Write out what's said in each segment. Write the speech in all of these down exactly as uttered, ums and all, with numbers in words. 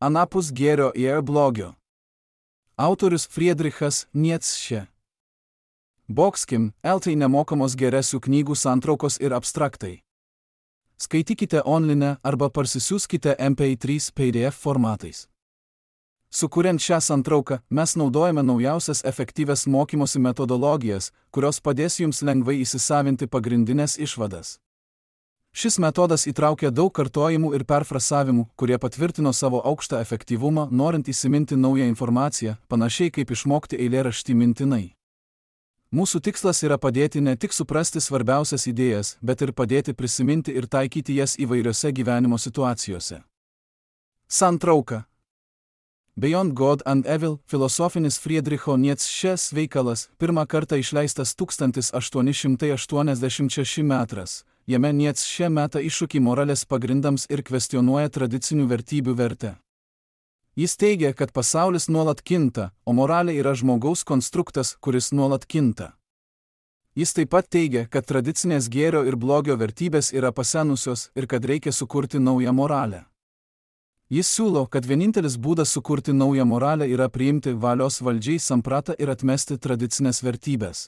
Anapus gėrio ir blogio. Autorius Friedrichas Nietzsche. Bokskim, eltai nemokamos geresių knygų santraukos ir abstraktai. Skaitykite online arba parsisiųskite M P trys P D F formatais. Sukuriant šią santrauką, mes naudojame naujausias efektyvias mokymosi metodologijas, kurios padės jums lengvai įsisavinti pagrindinės išvadas. Šis metodas įtraukia daug kartojimų ir perfrasavimų, kurie patvirtino savo aukštą efektyvumą, norint įsiminti naują informaciją, panašiai kaip išmokti eilėraštį mintinai. Mūsų tikslas yra padėti ne tik suprasti svarbiausias idėjas, bet ir padėti prisiminti ir taikyti jas įvairiose gyvenimo situacijose. Santrauka. Beyond God and Evil – filosofinis Friedricho Nietzschės veikalas, pirmą kartą išleistas tūkstantis aštuoni šimtai aštuoniasdešimt šeštais metais. Jame Nietzsche meta iššūkį moralės pagrindams ir kvestionuoja tradicinių vertybių vertę. Jis teigia, kad pasaulis nuolat kinta, o moralė yra žmogaus konstruktas, kuris nuolat kinta. Jis taip pat teigia, kad tradicinės gėrio ir blogio vertybės yra pasenusios ir kad reikia sukurti naują moralę. Jis siūlo, kad vienintelis būdas sukurti naują moralę yra priimti valios valdžiai sampratą ir atmesti tradicinės vertybės.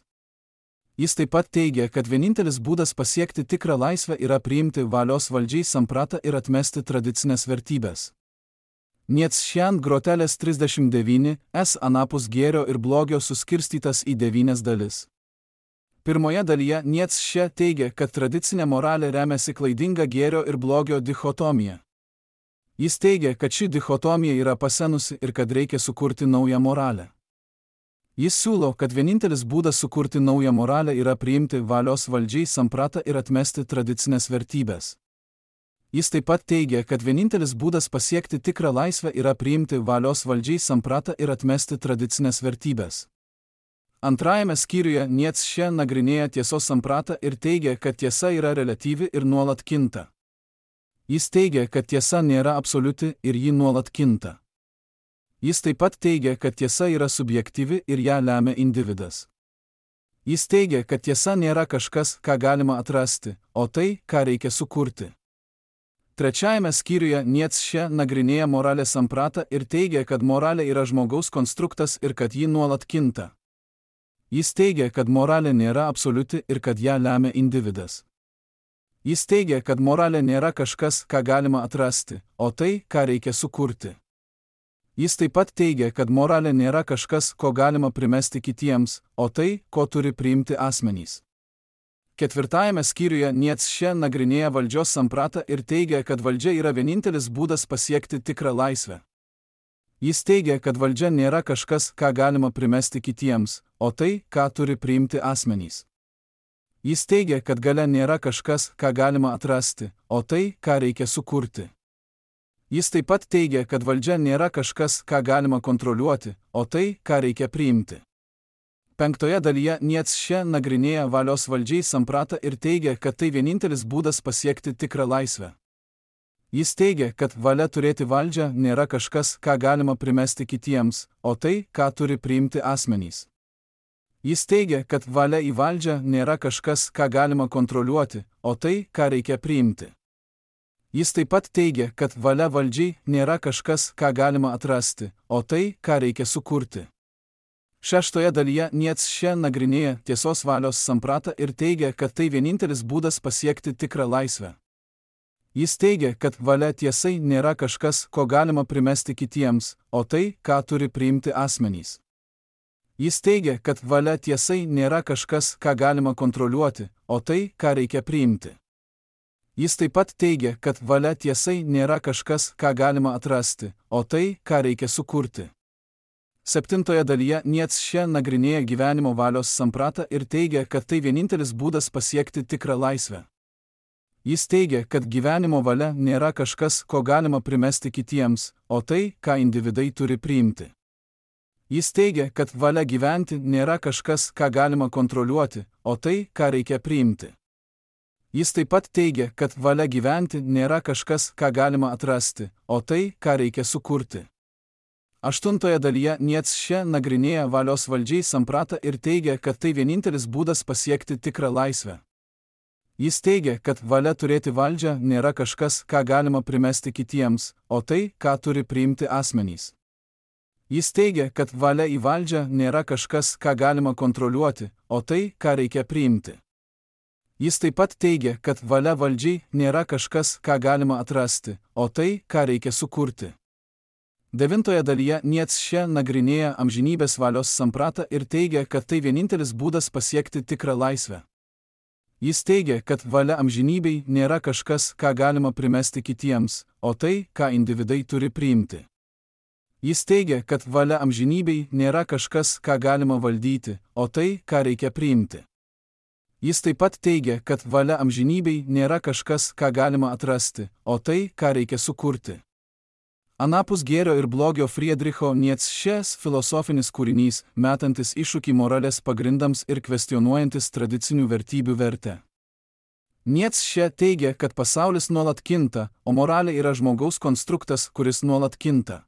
Jis taip pat teigia, kad vienintelis būdas pasiekti tikrą laisvę yra priimti valios valdžiai sampratą ir atmesti tradicinės vertybės. Nietzschean grotelės trisdešimt devyni S anapus gėrio ir blogio suskirstytas į devynias dalis. Pirmoje dalyje Nietzsche teigia, kad tradicinė moralė remiasi klaidinga gėrio ir blogio dichotomija. Jis teigia, kad ši dichotomija yra pasenusi ir kad reikia sukurti naują moralę. Jis siūlo, kad vienintelis būdas sukurti naują moralę yra priimti valios valdžiai sampratą ir atmesti tradicinės vertybės. Jis taip pat teigia, kad vienintelis būdas pasiekti tikrą laisvę yra priimti valios valdžiai sampratą ir atmesti tradicinės vertybės. Antrajame skyriuje Nietzsche nagrinėja tiesos sampratą ir teigia, kad tiesa yra reliatyvi ir nuolat kinta. Jis teigia, kad tiesa nėra absoliuti ir ji nuolat kinta. Jis taip pat teigia, kad tiesa yra subjektyvi ir ją lemia individas. Jis teigia, kad tiesa nėra kažkas, ką galima atrasti, o tai, ką reikia sukurti. Trečiajame skyriuje Nietzsche nagrinėja moralės sampratą ir teigia, kad moralė yra žmogaus konstruktas ir kad ji nuolat kinta. Jis teigia, kad moralė nėra absoliuti ir kad ją lemia individas. Jis teigia, kad moralė nėra kažkas, ką galima atrasti, o tai, ką reikia sukurti. Jis taip pat teigia, kad moralė nėra kažkas, ko galima primesti kitiems, o tai, ko turi priimti asmenys. Ketvirtajame skyriuje Nietzsche nagrinėja valdžios sampratą ir teigia, kad valdžia yra vienintelis būdas pasiekti tikrą laisvę. Jis teigia, kad valdžia nėra kažkas, ką galima primesti kitiems, o tai, ką turi priimti asmenys. Jis teigia, kad galia nėra kažkas, ką galima atrasti, o tai, ką reikia sukurti. Jis taip pat teigia, kad valdžia nėra kažkas, ką galima kontroliuoti, o tai, ką reikia priimti. Penktoje dalyje Nietzsche nagrinėja valios valdžiai sampratą ir teigia, kad tai vienintelis būdas pasiekti tikrą laisvę. Jis teigia, kad valia turėti valdžią nėra kažkas, ką galima primesti kitiems, o tai, ką turi priimti asmenys. Jis teigia, kad valia į valdžią nėra kažkas, ką galima kontroliuoti, o tai, ką reikia priimti. Jis taip pat teigia, kad valia valdžiai nėra kažkas, ką galima atrasti, o tai, ką reikia sukurti. Šeštoje dalyje Nietzsche nagrinėja tiesos valios sampratą ir teigia, kad tai vienintelis būdas pasiekti tikrą laisvę. Jis teigia, kad valia tiesai nėra kažkas, ko galima primesti kitiems, o tai, ką turi priimti asmenys. Jis teigia, kad valia tiesai nėra kažkas, ką galima kontroliuoti, o tai, ką reikia priimti. Jis taip pat teigia, kad valia tiesai nėra kažkas, ką galima atrasti, o tai, ką reikia sukurti. Septintoje dalyje Nietzsche nagrinėja gyvenimo valios sampratą ir teigia, kad tai vienintelis būdas pasiekti tikrą laisvę. Jis teigia, kad gyvenimo valia nėra kažkas, ko galima primesti kitiems, o tai, ką individai turi priimti. Jis teigia, kad valia gyventi nėra kažkas, ką galima kontroliuoti, o tai, ką reikia priimti. Jis taip pat teigia, kad valia gyventi nėra kažkas, ką galima atrasti, o tai, ką reikia sukurti. Aštuntoje dalyje Nietzsche nagrinėja valios valdžiai sampratą ir teigia, kad tai vienintelis būdas pasiekti tikrą laisvę. Jis teigia, kad valia turėti valdžią nėra kažkas, ką galima primesti kitiems, o tai, ką turi priimti asmenys. Jis teigia, kad valia į valdžią nėra kažkas, ką galima kontroliuoti, o tai, ką reikia priimti. Jis taip pat teigia, kad valia valdžiai nėra kažkas, ką galima atrasti, o tai, ką reikia sukurti. Devintoje dalyje Nietzsche nagrinėja amžinybės valios sampratą ir teigia, kad tai vienintelis būdas pasiekti tikrą laisvę. Jis teigia, kad valia amžinybei nėra kažkas, ką galima primesti kitiems, o tai, ką individai turi priimti. Jis teigia, kad valia amžinybei nėra kažkas, ką galima valdyti, o tai, ką reikia priimti. Jis taip pat teigia, kad valia amžinybei nėra kažkas, ką galima atrasti, o tai, ką reikia sukurti. Anapus gėrio ir blogio Friedricho Nietzschės filosofinis kūrinys, metantis iššūkį moralės pagrindams ir kvestionuojantis tradicinių vertybių vertę. Nietzsche teigia, kad pasaulis nuolat kinta, o moralė yra žmogaus konstruktas, kuris nuolat kinta.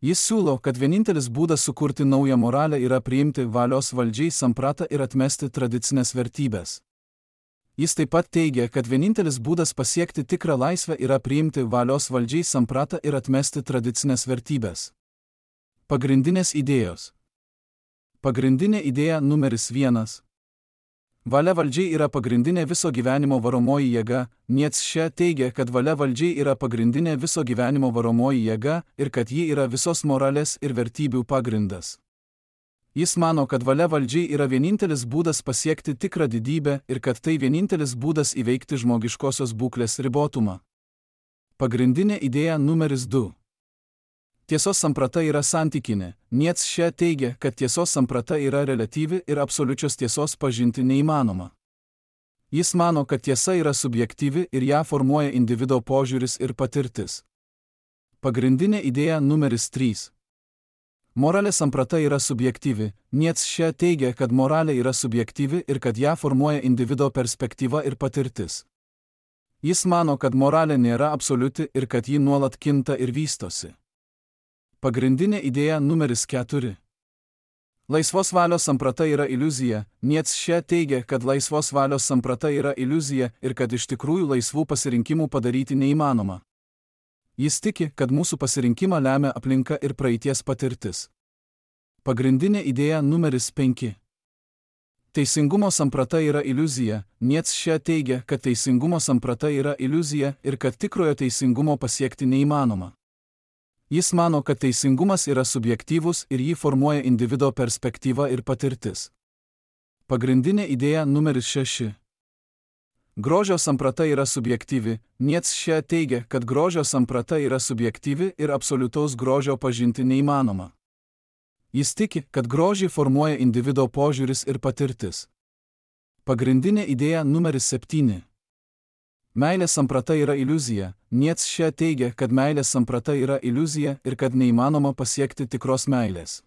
Jis siūlo, kad vienintelis būdas sukurti naują moralę yra priimti valios valdžiai sampratą ir atmesti tradicinės vertybės. Jis taip pat teigia, kad vienintelis būdas pasiekti tikrą laisvę yra priimti valios valdžiai sampratą ir atmesti tradicinės vertybės. Pagrindinės idėjos. Pagrindinė idėja numeris vienas. Valia valdžiai yra pagrindinė viso gyvenimo varomoji jėga. Nietzsche teigia, kad valia valdžiai yra pagrindinė viso gyvenimo varomoji jėga ir kad ji yra visos moralės ir vertybių pagrindas. Jis mano, kad valia valdžiai yra vienintelis būdas pasiekti tikrą didybę ir kad tai vienintelis būdas įveikti žmogiškosios būklės ribotumą. Pagrindinė idėja numeris du. Tiesos samprata yra santykinė. Nietzsche teigia, kad tiesos samprata yra reliatyvi ir absoliučios tiesos pažinti neįmanoma. Jis mano, kad tiesa yra subjektyvi ir ją formuoja individo požiūris ir patirtis. Pagrindinė idėja numeris trys. Moralės samprata yra subjektyvi. Nietzsche teigia, kad moralė yra subjektyvi ir kad ją formuoja individo perspektyva ir patirtis. Jis mano, kad moralė nėra absoliuti ir kad ji nuolat kinta ir vystosi. Pagrindinė idėja numeris keturi. Laisvos valios samprata yra iliuzija. Nietzsche teigia, kad laisvos valios samprata yra iliuzija ir kad iš tikrųjų laisvų pasirinkimų padaryti neįmanoma. Jis tiki, kad mūsų pasirinkimą lemia aplinka ir praeities patirtis. Pagrindinė idėja numeris penki. Teisingumo samprata yra iliuzija. Nietzsche teigia, kad teisingumo samprata yra iliuzija ir kad tikrojo teisingumo pasiekti neįmanoma. Jis mano, kad teisingumas yra subjektyvus ir jį formuoja individo perspektyva ir patirtis. Pagrindinė idėja numeris šeši. Grožio samprata yra subjektyvi. Nietzsche teigia, kad grožio samprata yra subjektyvi ir absoliutaus grožio pažinti neįmanoma. Jis tiki, kad grožį formuoja individo požiūris ir patirtis. Pagrindinė idėja numeris septyni. Meilės samprata yra iliuzija. Nietzsche teigia, kad meilės samprata yra iliuzija ir kad neįmanoma pasiekti tikros meilės.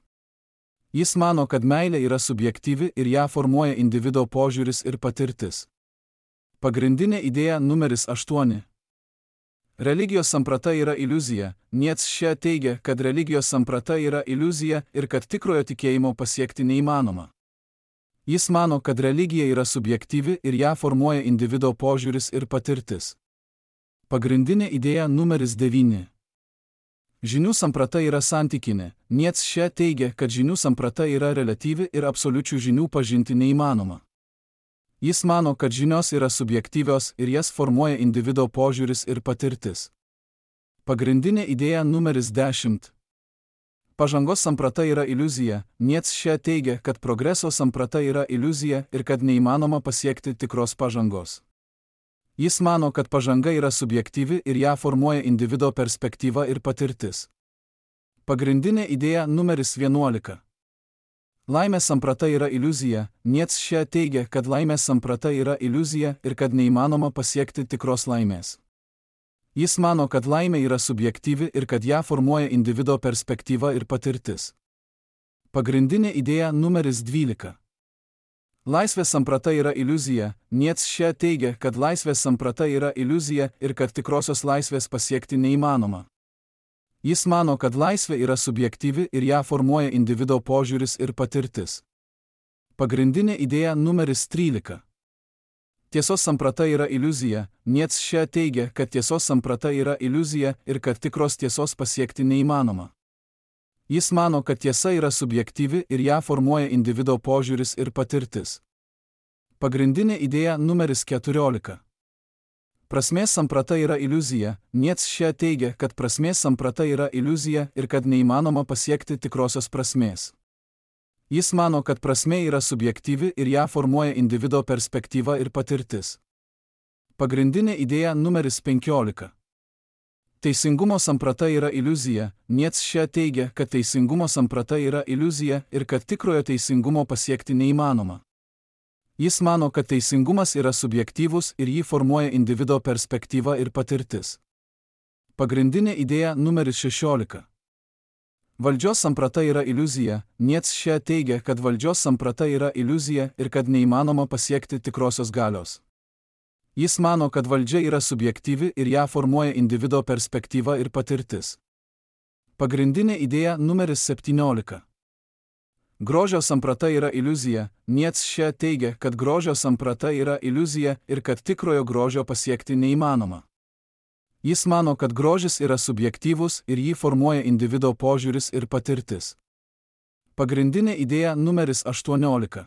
Jis mano, kad meilė yra subjektyvi ir ją formuoja individo požiūris ir patirtis. Pagrindinė idėja numeris aštuoni. Religijos samprata yra iliuzija. Nietzsche teigia, kad religijos samprata yra iliuzija ir kad tikrojo tikėjimo pasiekti neįmanoma. Jis mano, kad religija yra subjektyvi ir ją formuoja individo požiūris ir patirtis. Pagrindinė idėja numeris devyni. Žinių samprata yra santykinė. Nietzsche teigia, kad žinių samprata yra reliatyvi ir absoliučių žinių pažinti neįmanoma. Jis mano, kad žinios yra subjektyvios ir jas formuoja individo požiūris ir patirtis. Pagrindinė idėja numeris dešimt. Pažangos samprata yra iliuzija. Nietzsche teigia, kad progreso samprata yra iliuzija ir kad neįmanoma pasiekti tikros pažangos. Jis mano, kad pažanga yra subjektyvi ir ją formuoja individo perspektyva ir patirtis. Pagrindinė idėja numeris vienuolika. Laimės samprata yra iliuzija. Nietzsche teigia, kad laimės samprata yra iliuzija ir kad neįmanoma pasiekti tikros laimės. Jis mano, kad laimė yra subjektyvi ir kad ją formuoja individo perspektyva ir patirtis. Pagrindinė idėja numeris dvylika. Laisvės samprata yra iliuzija. Nietzsche teigia, kad laisvės samprata yra iliuzija ir kad tikrosios laisvės pasiekti neįmanoma. Jis mano, kad laisvė yra subjektyvi ir ją formuoja individo požiūris ir patirtis. Pagrindinė idėja numeris trylika. tiesos samprata yra iliuzija, Nietzsche teigia, kad tiesos samprata yra iliuzija ir kad tikros tiesos pasiekti neįmanoma. Jis mano, kad tiesa yra subjektyvi ir ją formuoja individo požiūris ir patirtis. Pagrindinė idėja numeris keturiolika. Prasmės samprata yra iliuzija, Nietzsche teigia, kad prasmės samprata yra iliuzija ir kad neįmanoma pasiekti tikrosios prasmės. Jis mano, kad prasmė yra subjektyvi ir ją formuoja individo perspektyva ir patirtis. Pagrindinė idėja numeris penkiolika. Teisingumo samprata yra iliuzija, Nietzsche teigia, kad teisingumo samprata yra iliuzija ir kad tikrojo teisingumo pasiekti neįmanoma. Jis mano, kad teisingumas yra subjektyvus ir jį formuoja individo perspektyva ir patirtis. Pagrindinė idėja numeris šešiolika. Valdžios samprata yra iliuzija, Nietzsche teigia, kad valdžios samprata yra iliuzija ir kad neįmanoma pasiekti tikrosios galios. Jis mano, kad valdžia yra subjektyvi ir ją formuoja individo perspektyva ir patirtis. Pagrindinė idėja numeris septyniolika. Grožio samprata yra iliuzija, Nietzsche teigia, kad grožio samprata yra iliuzija ir kad tikrojo grožio pasiekti neįmanoma. Jis mano, kad grožis yra subjektyvus ir jį formuoja individo požiūris ir patirtis. Pagrindinė idėja numeris aštuoniolika.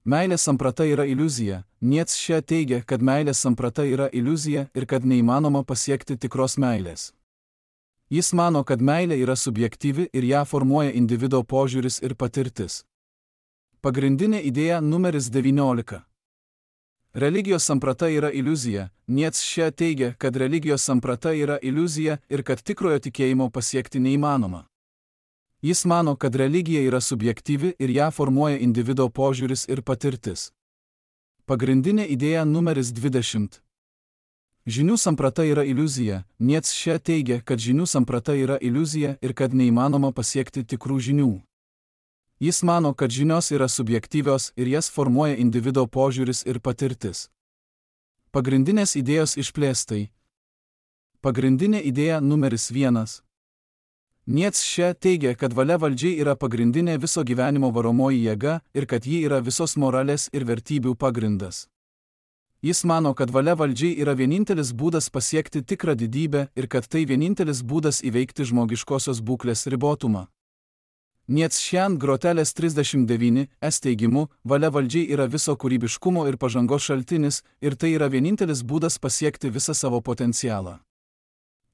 Meilės samprata yra iliuzija, Nietzsche teigia, kad meilės samprata yra iliuzija ir kad neįmanoma pasiekti tikros meilės. Jis mano, kad meilė yra subjektyvi ir ją formuoja individo požiūris ir patirtis. Pagrindinė idėja numeris devyniolika. Religijos samprata yra iliuzija, Nietzsche teigia, kad religijos samprata yra iliuzija ir kad tikrojo tikėjimo pasiekti neįmanoma. Jis mano, kad religija yra subjektyvi ir ją formuoja individo požiūris ir patirtis. Pagrindinė idėja numeris dvidešimt. Žinių samprata yra iliuzija, Nietzsche teigia, kad žinių samprata yra iliuzija ir kad neįmanoma pasiekti tikrų žinių. Jis mano, kad žinios yra subjektyvios ir jas formuoja individo požiūris ir patirtis. Pagrindinės idėjos išplėstai. Pagrindinė idėja numeris vienas. Nietzsche teigia, kad valia valdžiai yra pagrindinė viso gyvenimo varomoji jėga ir kad ji yra visos moralės ir vertybių pagrindas. Jis mano, kad valia valdžiai yra vienintelis būdas pasiekti tikrą didybę ir kad tai vienintelis būdas įveikti žmogiškosios būklės ribotumą. Nietzsche grotelės trisdešimt devyni es teigimu, valia valdžiai yra viso kūrybiškumo ir pažangos šaltinis ir tai yra vienintelis būdas pasiekti visą savo potencialą.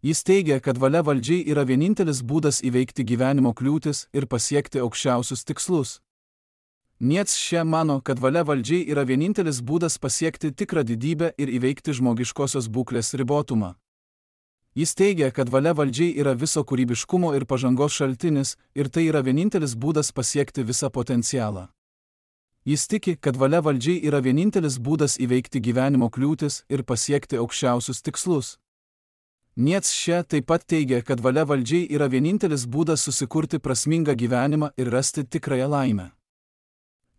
Jis teigia, kad valia valdžiai yra vienintelis būdas įveikti gyvenimo kliūtis ir pasiekti aukščiausius tikslus. Nietzsche mano, kad valia valdžiai yra vienintelis būdas pasiekti tikrą didybę ir įveikti žmogiškosios būklės ribotumą. Jis teigia, kad valia valdžiai yra viso kūrybiškumo ir pažangos šaltinis ir tai yra vienintelis būdas pasiekti visą potencialą. Jis tiki, kad valia valdžiai yra vienintelis būdas įveikti gyvenimo kliūtis ir pasiekti aukščiausius tikslus. Nietzsche taip pat teigia, kad valia valdžiai yra vienintelis būdas susikurti prasmingą gyvenimą ir rasti tikrąją laimę.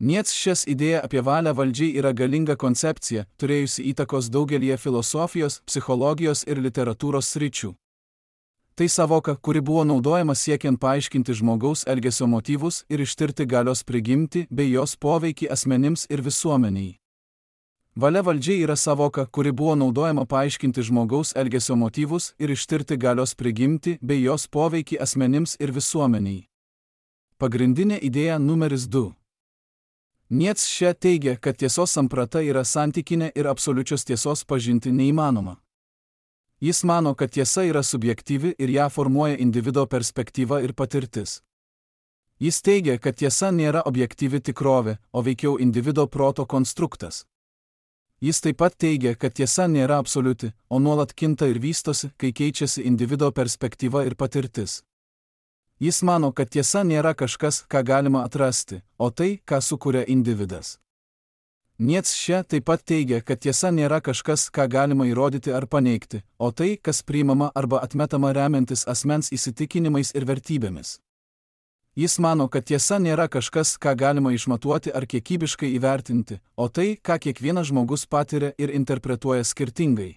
Nietzschės idėja apie valią valdžiai yra galinga koncepcija, turėjusi įtakos daugelį filosofijos, psichologijos ir literatūros sričių. Tai savoka, kuri buvo naudojama siekiant paaiškinti žmogaus elgesio motyvus ir ištirti galios prigimtį bei jos poveikį asmenims ir visuomeniai. Valia valdžiai yra savoka, kuri buvo naudojama paaiškinti žmogaus elgesio motyvus ir ištirti galios prigimtį bei jos poveikį asmenims ir visuomeniai. Pagrindinė idėja numeris du. Nietzsche teigia, kad tiesos samprata yra santykinė ir absoliučios tiesos pažinti neįmanoma. Jis mano, kad tiesa yra subjektyvi ir ją formuoja individo perspektyva ir patirtis. Jis teigia, kad tiesa nėra objektyvi tikrovė, o veikiau individo proto konstruktas. Jis taip pat teigia, kad tiesa nėra absoliuti, o nuolat kinta ir vystosi, kai keičiasi individo perspektyva ir patirtis. Jis mano, kad tiesa nėra kažkas, ką galima atrasti, o tai, ką sukuria individas. Nietzsche taip pat teigia, kad tiesa nėra kažkas, ką galima įrodyti ar paneigti, o tai, kas priimama arba atmetama remiantis asmens įsitikinimais ir vertybėmis. Jis mano, kad tiesa nėra kažkas, ką galima išmatuoti ar kiekybiškai įvertinti, o tai, ką kiekvienas žmogus patiria ir interpretuoja skirtingai.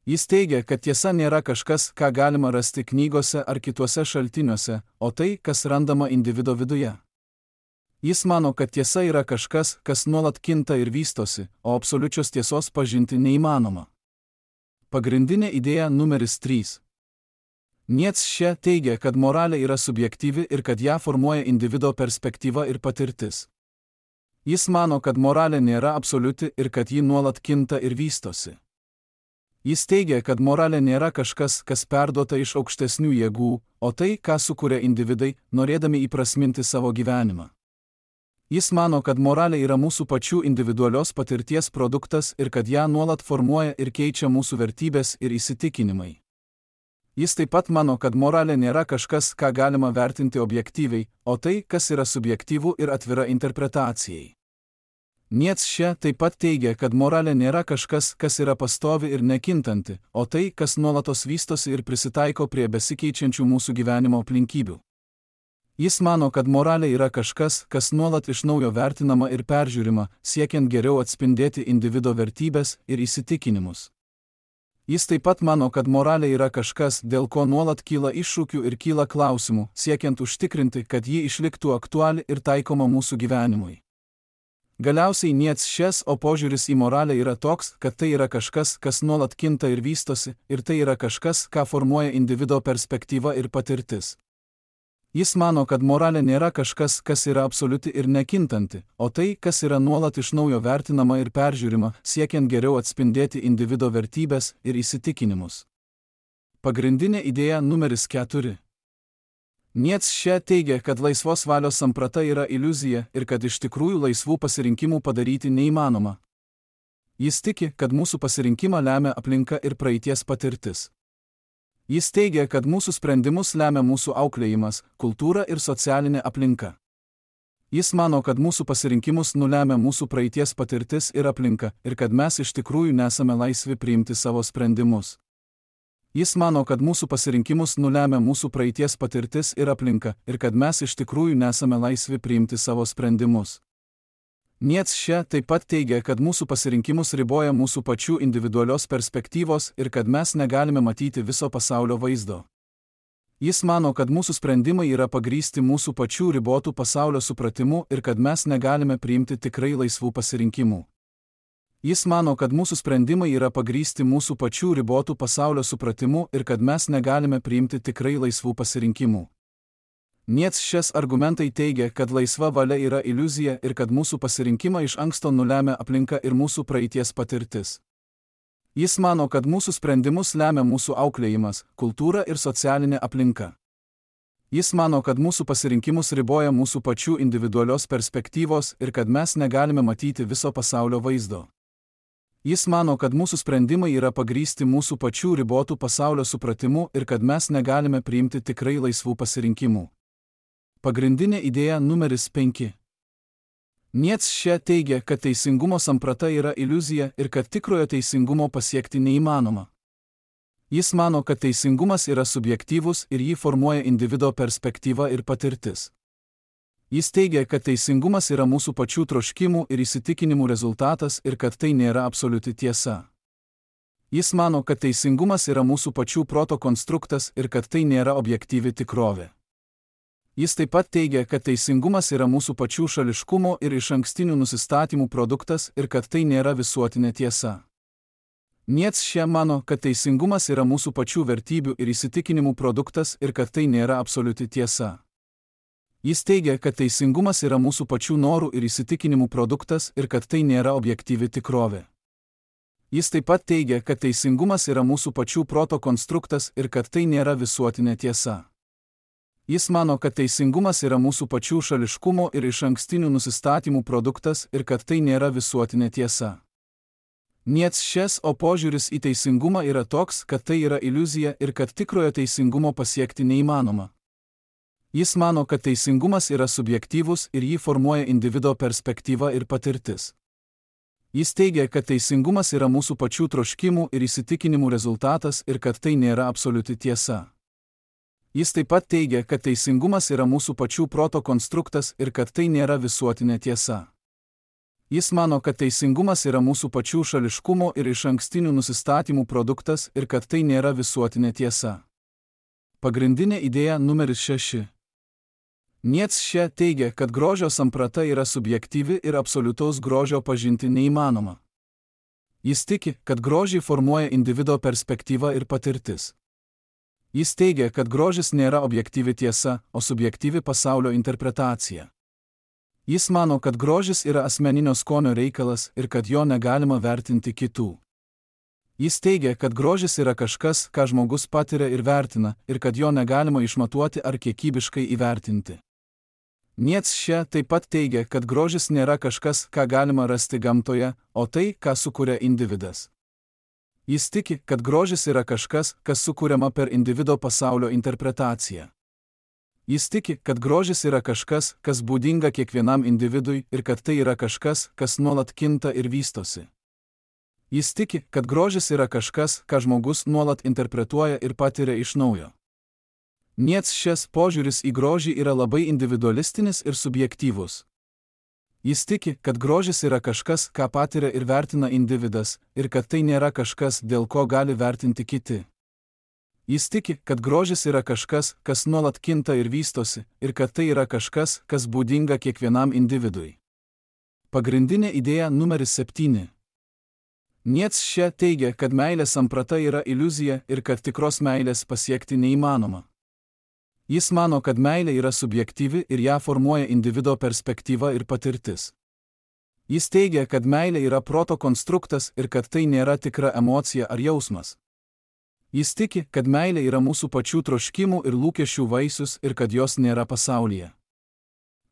Jis teigia, kad tiesa nėra kažkas, ką galima rasti knygose ar kituose šaltiniuose, o tai, kas randama individo viduje. Jis mano, kad tiesa yra kažkas, kas nuolat kinta ir vystosi, o absoliučios tiesos pažinti neįmanoma. Pagrindinė idėja numeris trys. Nietzsche teigia, kad moralė yra subjektyvi ir kad ją formuoja individo perspektyva ir patirtis. Jis mano, kad moralė nėra absoliuti ir kad ji nuolat kinta ir vystosi. Jis teigia, kad moralė nėra kažkas, kas perduota iš aukštesnių jėgų, o tai, ką sukuria individai, norėdami įprasminti savo gyvenimą. Jis mano, kad moralė yra mūsų pačių individualios patirties produktas ir kad ją nuolat formuoja ir keičia mūsų vertybės ir įsitikinimai. Jis taip pat mano, kad moralė nėra kažkas, ką galima vertinti objektyviai, o tai, kas yra subjektyvu ir atvira interpretacijai. Nietzsche taip pat teigia, kad moralė nėra kažkas, kas yra pastovi ir nekintanti, o tai, kas nuolatos vystosi ir prisitaiko prie besikeičiančių mūsų gyvenimo aplinkybių. Jis mano, kad moralė yra kažkas, kas nuolat iš naujo vertinama ir peržiūrima, siekiant geriau atspindėti individo vertybės ir įsitikinimus. Jis taip pat mano, kad moralė yra kažkas, dėl ko nuolat kyla iššūkių ir kyla klausimų, siekiant užtikrinti, kad ji išliktų aktuali ir taikoma mūsų gyvenimui. Galiausiai Nietzsche's o požiūris į moralę yra toks, kad tai yra kažkas, kas nuolat kinta ir vystosi, ir tai yra kažkas, ką formuoja individo perspektyva ir patirtis. Jis mano, kad moralė nėra kažkas, kas yra absoliuti ir nekintanti, o tai, kas yra nuolat iš naujo vertinama ir peržiūrima, siekiant geriau atspindėti individo vertybės ir įsitikinimus. Pagrindinė idėja numeris keturi. Nietzsche teigia, kad laisvos valios samprata yra iliuzija ir kad iš tikrųjų laisvų pasirinkimų padaryti neįmanoma. Jis tiki, kad mūsų pasirinkimą lemia aplinka ir praeities patirtis. Jis teigia, kad mūsų sprendimus lemia mūsų auklėjimas, kultūra ir socialinė aplinka. Jis mano, kad mūsų pasirinkimus nulemia mūsų praeities patirtis ir aplinka ir kad mes iš tikrųjų nesame laisvi priimti savo sprendimus. Jis mano, kad mūsų pasirinkimus nulemia mūsų praeities patirtis ir aplinka ir kad mes iš tikrųjų nesame laisvi priimti savo sprendimus. Nietzsche taip pat teigia, kad mūsų pasirinkimus riboja mūsų pačių individualios perspektyvos ir kad mes negalime matyti viso pasaulio vaizdo. Jis mano, kad mūsų sprendimai yra pagrįsti mūsų pačių ribotų pasaulio supratimu ir kad mes negalime priimti tikrai laisvų pasirinkimų. Jis mano, kad mūsų sprendimai yra pagrįsti mūsų pačių ribotų pasaulio supratimu ir kad mes negalime priimti tikrai laisvų pasirinkimų. Nietzsche's argumentai teigia, kad laisva valia yra iliuzija ir kad mūsų pasirinkimą iš anksto nulemia aplinka ir mūsų praeities patirtis. Jis mano, kad mūsų sprendimus lemia mūsų auklėjimas, kultūra ir socialinė aplinka. Jis mano, kad mūsų pasirinkimus riboja mūsų pačių individualios perspektyvos ir kad mes negalime matyti viso pasaulio vaizdo. Jis mano, kad mūsų sprendimai yra pagrįsti mūsų pačių ribotų pasaulio supratimu ir kad mes negalime priimti tikrai laisvų pasirinkimų. Pagrindinė idėja numeris penki. Nietzsche teigia, kad teisingumo samprata yra iliuzija ir kad tikrojo teisingumo pasiekti neįmanoma. Jis mano, kad teisingumas yra subjektyvus ir jį formuoja individo perspektyva ir patirtis. Jis teigia, kad teisingumas yra mūsų pačių troškimų ir įsitikinimų rezultatas ir kad tai nėra absoliuti tiesa. Jis mano, kad teisingumas yra mūsų pačių proto konstruktas ir kad tai nėra objektyvi tikrovė. Jis taip pat teigia, kad teisingumas yra mūsų pačių šališkumo ir išankstinių nusistatymų produktas ir kad tai nėra visuotinė tiesa. Nietzsche mano, kad teisingumas yra mūsų pačių vertybių ir įsitikinimų produktas ir kad tai nėra absoliuti tiesa. Jis teigia, kad teisingumas yra mūsų pačių norų ir įsitikinimų produktas ir kad tai nėra objektyvi tikrovė. Jis taip pat teigia, kad teisingumas yra mūsų pačių proto konstruktas ir kad tai nėra visuotinė tiesa. Jis mano, kad teisingumas yra mūsų pačių šališkumo ir išankstinių nusistatymų produktas ir kad tai nėra visuotinė tiesa. Nietzsche's o požiūris į teisingumą yra toks, kad tai yra iliuzija ir kad tikrojo teisingumo pasiekti neįmanoma. Jis mano, kad teisingumas yra subjektyvus ir jį formuoja individo perspektyva ir patirtis. Jis teigia, kad teisingumas yra mūsų pačių troškimų ir įsitikinimų rezultatas ir kad tai nėra absoliuti tiesa. Jis taip pat teigia, kad teisingumas yra mūsų pačių proto konstruktas ir kad tai nėra visuotinė tiesa. Jis mano, kad teisingumas yra mūsų pačių šališkumo ir išankstinių nusistatymų produktas ir kad tai nėra visuotinė tiesa. Pagrindinė idėja numeris šeši. Nietzsche teigia, kad grožio samprata yra subjektyvi ir absoliutaus grožio pažinti neįmanoma. Jis tiki, kad grožį formuoja individo perspektyva ir patirtis. Jis teigia, kad grožis nėra objektyvi tiesa, o subjektyvi pasaulio interpretacija. Jis mano, kad grožis yra asmeninio skonio reikalas ir kad jo negalima vertinti kitų. Jis teigia, kad grožis yra kažkas, ką žmogus patiria ir vertina, ir kad jo negalima išmatuoti ar kiekybiškai įvertinti. Nietzsche taip pat teigia, kad grožis nėra kažkas, ką galima rasti gamtoje, o tai, ką sukuria individas. Jis tiki, kad grožis yra kažkas, kas sukuriama per individo pasaulio interpretaciją. Jis tiki, kad grožis yra kažkas, kas būdinga kiekvienam individui ir kad tai yra kažkas, kas nuolat kinta ir vystosi. Jis tiki, kad grožis yra kažkas, ką žmogus nuolat interpretuoja ir patiria iš naujo. Nietzschės požiūris į grožį yra labai individualistinis ir subjektyvus. Jis tiki, kad grožis yra kažkas, ką patiria ir vertina individas, ir kad tai nėra kažkas, dėl ko gali vertinti kiti. Jis tiki, kad grožis yra kažkas, kas nuolat kinta ir vystosi, ir kad tai yra kažkas, kas būdinga kiekvienam individui. Pagrindinė idėja numeris septyni. Nietzsche teigia, kad meilės samprata yra iliuzija ir kad tikros meilės pasiekti neįmanoma. Jis mano, kad meilė yra subjektyvi ir ją formuoja individo perspektyva ir patirtis. Jis teigia, kad meilė yra proto konstruktas ir kad tai nėra tikra emocija ar jausmas. Jis tiki, kad meilė yra mūsų pačių troškimų ir lūkesčių vaisius ir kad jos nėra pasaulyje.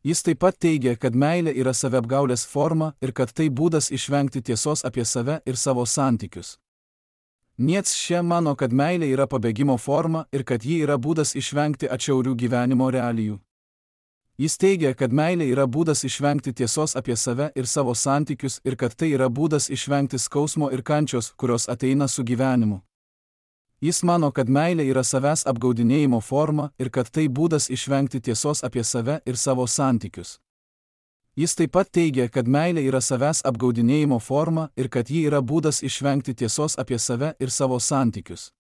Jis taip pat teigia, kad meilė yra saviapgaulės forma ir kad tai būdas išvengti tiesos apie save ir savo santykius. Nietzsche mano, kad meilė yra pabėgimo forma ir kad ji yra būdas išvengti atšiaurių gyvenimo realijų. Jis teigia, kad meilė yra būdas išvengti tiesos apie save ir savo santykius ir kad tai yra būdas išvengti skausmo ir kančios, kurios ateina su gyvenimu. Jis mano, kad meilė yra savęs apgaudinėjimo forma ir kad tai būdas išvengti tiesos apie save ir savo santykius. Jis taip pat teigia, kad meilė yra savęs apgaudinėjimo forma ir kad ji yra būdas išvengti tiesos apie save ir savo santykius.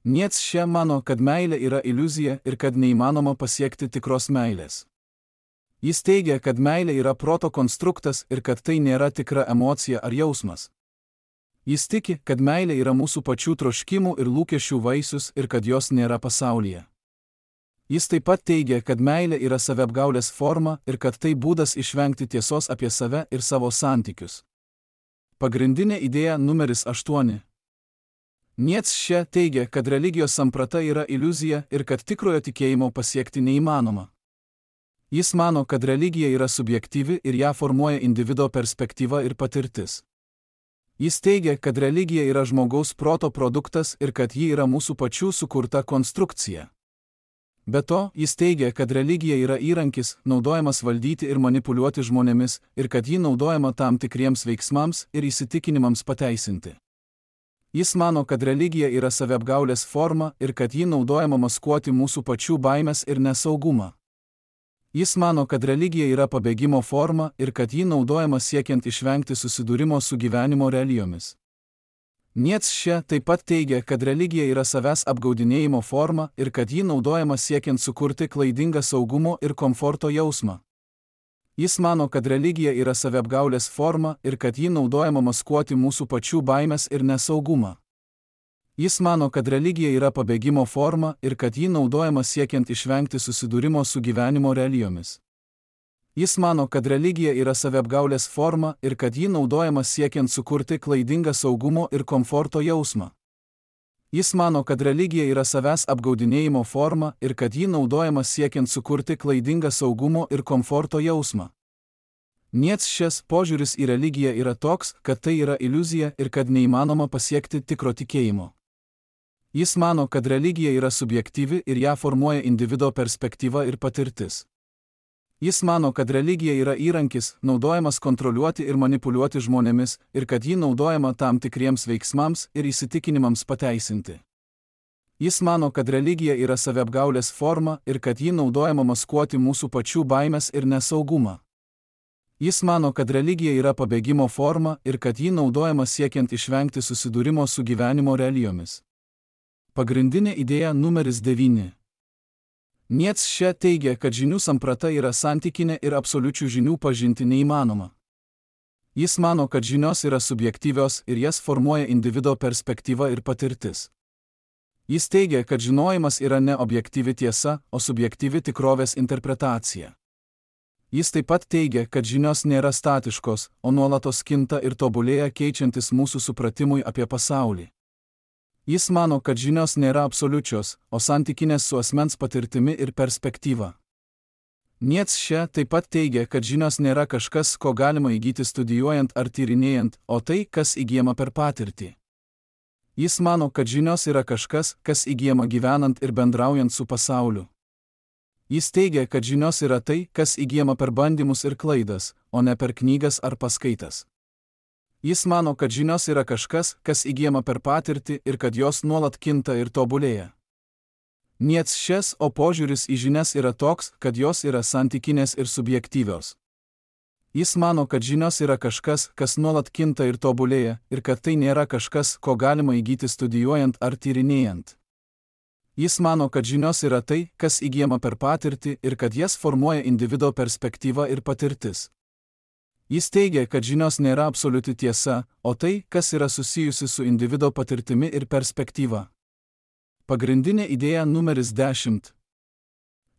Nietzsche mano, kad meilė yra iliuzija ir kad neįmanoma pasiekti tikros meilės. Jis teigia, kad meilė yra proto konstruktas ir kad tai nėra tikra emocija ar jausmas. Jis tiki, kad meilė yra mūsų pačių troškimų ir lūkesčių vaisius ir kad jos nėra pasaulyje. Jis taip pat teigia, kad meilė yra saviapgaulės forma ir kad tai būdas išvengti tiesos apie save ir savo santykius. Pagrindinė idėja numeris aštuoni. Nietzsche teigia, kad religijos samprata yra iliuzija ir kad tikrojo tikėjimo pasiekti neįmanoma. Jis mano, kad religija yra subjektyvi ir ją formuoja individo perspektyva ir patirtis. Jis teigia, kad religija yra žmogaus proto produktas ir kad ji yra mūsų pačių sukurta konstrukcija. Be to, jis teigia, kad religija yra įrankis, naudojamas valdyti ir manipuliuoti žmonėmis, ir kad ji naudojama tam tikriems veiksmams ir įsitikinimams pateisinti. Jis mano, kad religija yra saviapgaulės forma ir kad ji naudojama maskuoti mūsų pačių baimės ir nesaugumą. Jis mano, kad religija yra pabėgimo forma ir kad ji naudojama siekiant išvengti susidūrimo su gyvenimo realijomis. Nietzsche taip pat teigia, kad religija yra savęs apgaudinėjimo forma ir kad ji naudojama siekiant sukurti klaidingą saugumo ir komforto jausmą. Jis mano, kad religija yra saviapgaulės forma ir kad ji naudojama maskuoti mūsų pačių baimės ir nesaugumą. Jis mano, kad religija yra pabėgimo forma ir kad ji naudojama siekiant išvengti susidūrimo su gyvenimo realijomis. Jis mano, kad religija yra saviapgaulės forma ir kad ji naudojama siekiant sukurti klaidingą saugumo ir komforto jausmą. Jis mano, kad religija yra savęs apgaudinėjimo forma ir kad ji naudojama siekiant sukurti klaidingą saugumo ir komforto jausmą. Nietzschės požiūris į religiją yra toks, kad tai yra iliuzija ir kad neįmanoma pasiekti tikro tikėjimo. Jis mano, kad religija yra subjektyvi ir ją formuoja individo perspektyva ir patirtis. Jis mano, kad religija yra įrankis, naudojamas kontroliuoti ir manipuliuoti žmonėmis, ir kad ji naudojama tam tikriems veiksmams ir įsitikinimams pateisinti. Jis mano, kad religija yra saviapgaulės forma ir kad ji naudojama maskuoti mūsų pačių baimės ir nesaugumą. Jis mano, kad religija yra pabėgimo forma ir kad ji naudojama siekiant išvengti susidūrimo su gyvenimo realijomis. Pagrindinė idėja numeris devyni. Nietzsche teigia, kad žinių samprata yra santykinė ir absoliučių žinių pažinti neįmanoma. Jis mano, kad žinios yra subjektyvios ir jas formuoja individo perspektyva ir patirtis. Jis teigia, kad žinojimas yra ne objektyvi tiesa, o subjektyvi tikrovės interpretacija. Jis taip pat teigia, kad žinios nėra statiškos, o nuolatos kinta ir tobulėja keičiantis mūsų supratimui apie pasaulį. Jis mano, kad žinios nėra absoliučios, o santykinės su asmens patirtimi ir perspektyva. Nietzsche taip pat teigia, kad žinios nėra kažkas, ko galima įgyti studijuojant ar tyrinėjant, o tai, kas įgyjama per patirtį. Jis mano, kad žinios yra kažkas, kas įgyjama gyvenant ir bendraujant su pasauliu. Jis teigia, kad žinios yra tai, kas įgyjama per bandymus ir klaidas, o ne per knygas ar paskaitas. Jis mano, kad žinios yra kažkas, kas įgyjama per patirtį ir kad jos nuolat kinta ir tobulėja. Nietzschės, o požiūris į žinias yra toks, kad jos yra santykinės ir subjektyvios. Jis mano, kad žinios yra kažkas, kas nuolat kinta ir tobulėja, ir kad tai nėra kažkas, ko galima įgyti studijuojant ar tyrinėjant. Jis mano, kad žinios yra tai, kas įgyjama per patirtį ir kad jas formuoja individo perspektyva ir patirtis. Jis teigia, kad žinios nėra absoliuti tiesa, o tai, kas yra susijusi su individo patirtimi ir perspektyva. Pagrindinė idėja numeris dešimt.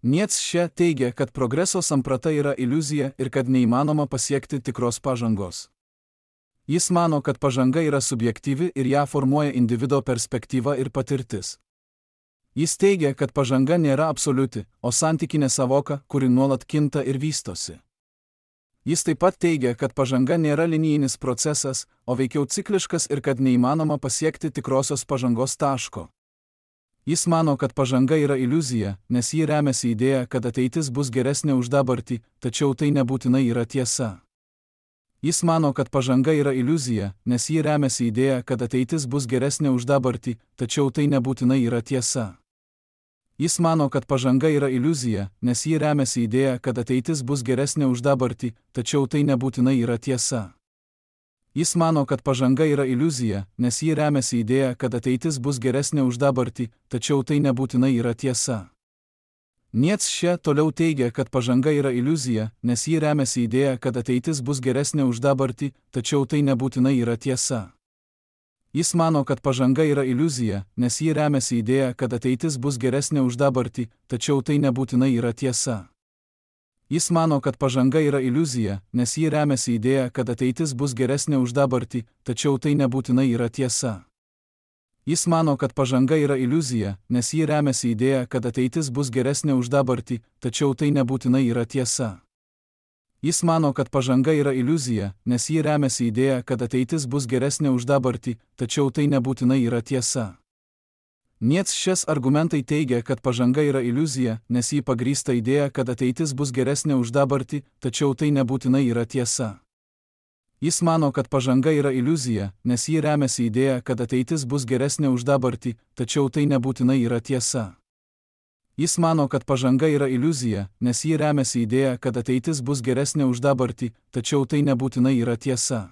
Nietzsche teigia, kad progreso samprata yra iliuzija ir kad neįmanoma pasiekti tikros pažangos. Jis mano, kad pažanga yra subjektyvi ir ją formuoja individo perspektyva ir patirtis. Jis teigia, kad pažanga nėra absoliuti, o santykinė savoka, kuri nuolat kinta ir vystosi. Jis taip pat teigia, kad pažanga nėra linijinis procesas, o veikiau cikliškas ir kad neįmanoma pasiekti tikrosios pažangos taško. Jis mano, kad pažanga yra iliuzija, nes ji remiasi idėja, kad ateitis bus geresnė už dabartį, tačiau tai nebūtinai yra tiesa. Jis mano, kad pažanga yra iliuzija, nes ji remiasi idėja, kad ateitis bus geresnė už dabartį, tačiau tai nebūtinai yra tiesa. Jis mano, kad pažanga yra iliuzija, nes ji remiasi idėja, kad ateitis bus geresnė už dabartį, tačiau tai nebūtinai yra tiesa. Jis mano, kad pažanga yra iliuzija, nes ji remiasi idėja, kad ateitis bus geresnė už dabartį, tačiau tai nebūtinai yra tiesa. Nietzsche toliau teigia, kad pažanga yra iliuzija, nes ji remiasi idėja, kad ateitis bus geresnė už dabartį, tačiau tai nebūtinai yra tiesa. Jis mano, kad pažanga yra iliuzija, nes ji remiasi idėja, kad ateitis bus geresnė už dabartį, tačiau tai nebūtinai yra tiesa. Jis mano, kad pažanga yra iliuzija, nes ji remiasi idėja, kad ateitis bus geresnė už dabartį, tačiau tai nebūtinai yra tiesa. Jis mano, kad pažanga yra iliuzija, nes ji remiasi idėja, kad ateitis bus geresnė už dabartį, tačiau tai nebūtinai yra tiesa. Jis mano, kad pažanga yra iliuzija, nes ji remiasi idėja, kad ateitis bus geresnė už dabartį, tačiau tai nebūtinai yra tiesa. Nietzschės argumentai teigia, kad pažanga yra iliuzija, nes ji pagrįsta idėja, kad ateitis bus geresnė už dabartį, tačiau tai nebūtinai yra tiesa. Jis mano, kad pažanga yra iliuzija, nes ji remiasi idėja, kad ateitis bus geresnė už dabartį, tačiau tai nebūtinai yra tiesa. Jis mano, kad pažanga yra iliuzija, nes ji remiasi idėja, kad ateitis bus geresnė už dabartį, tačiau tai nebūtinai yra tiesa.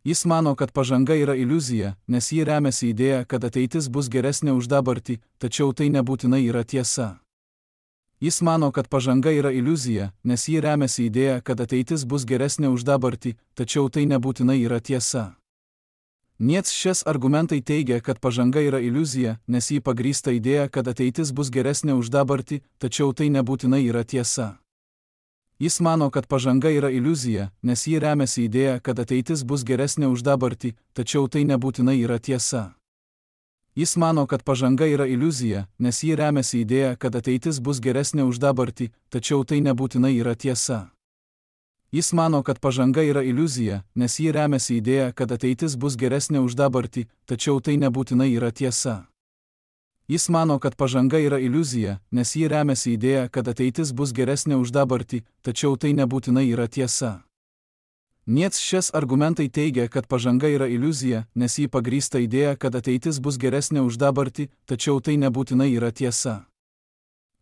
Jis mano, kad pažanga yra iliuzija, nes ji remiasi idėja, kad ateitis bus geresnė už dabartį, tačiau tai nebūtinai yra tiesa. Jis mano, kad pažanga yra iliuzija, nes ji remiasi idėja, kad ateitis bus geresnė už dabartį, tačiau tai nebūtinai yra tiesa. Nietzschės argumentai teigia, kad pažanga yra iliuzija, nes ji pagrįsta idėja, kad ateitis bus geresnė už dabartį, tačiau tai nebūtinai yra tiesa. Jis mano, kad pažanga yra iliuzija, nes ji remiasi idėja, kad ateitis bus geresnė už dabartį, tačiau tai nebūtinai yra tiesa. Jis mano, kad pažanga yra iliuzija, nes ji remiasi idėja, kad ateitis bus geresnė už dabartį, tačiau tai nebūtinai yra tiesa. Jis mano, kad pažanga yra iliuzija, nes ji remiasi idėja, kad ateitis bus geresnė už dabartį, tačiau tai nebūtinai yra tiesa. Jis mano, kad pažanga yra iliuzija, nes ji remiasi idėja, kad ateitis bus geresnė už dabartį, tačiau tai nebūtinai yra tiesa. Nietzschės argumentai teigia, kad pažanga yra iliuzija, nes ji pagrįsta idėja, kad ateitis bus geresnė už dabartį, tačiau tai nebūtinai yra tiesa.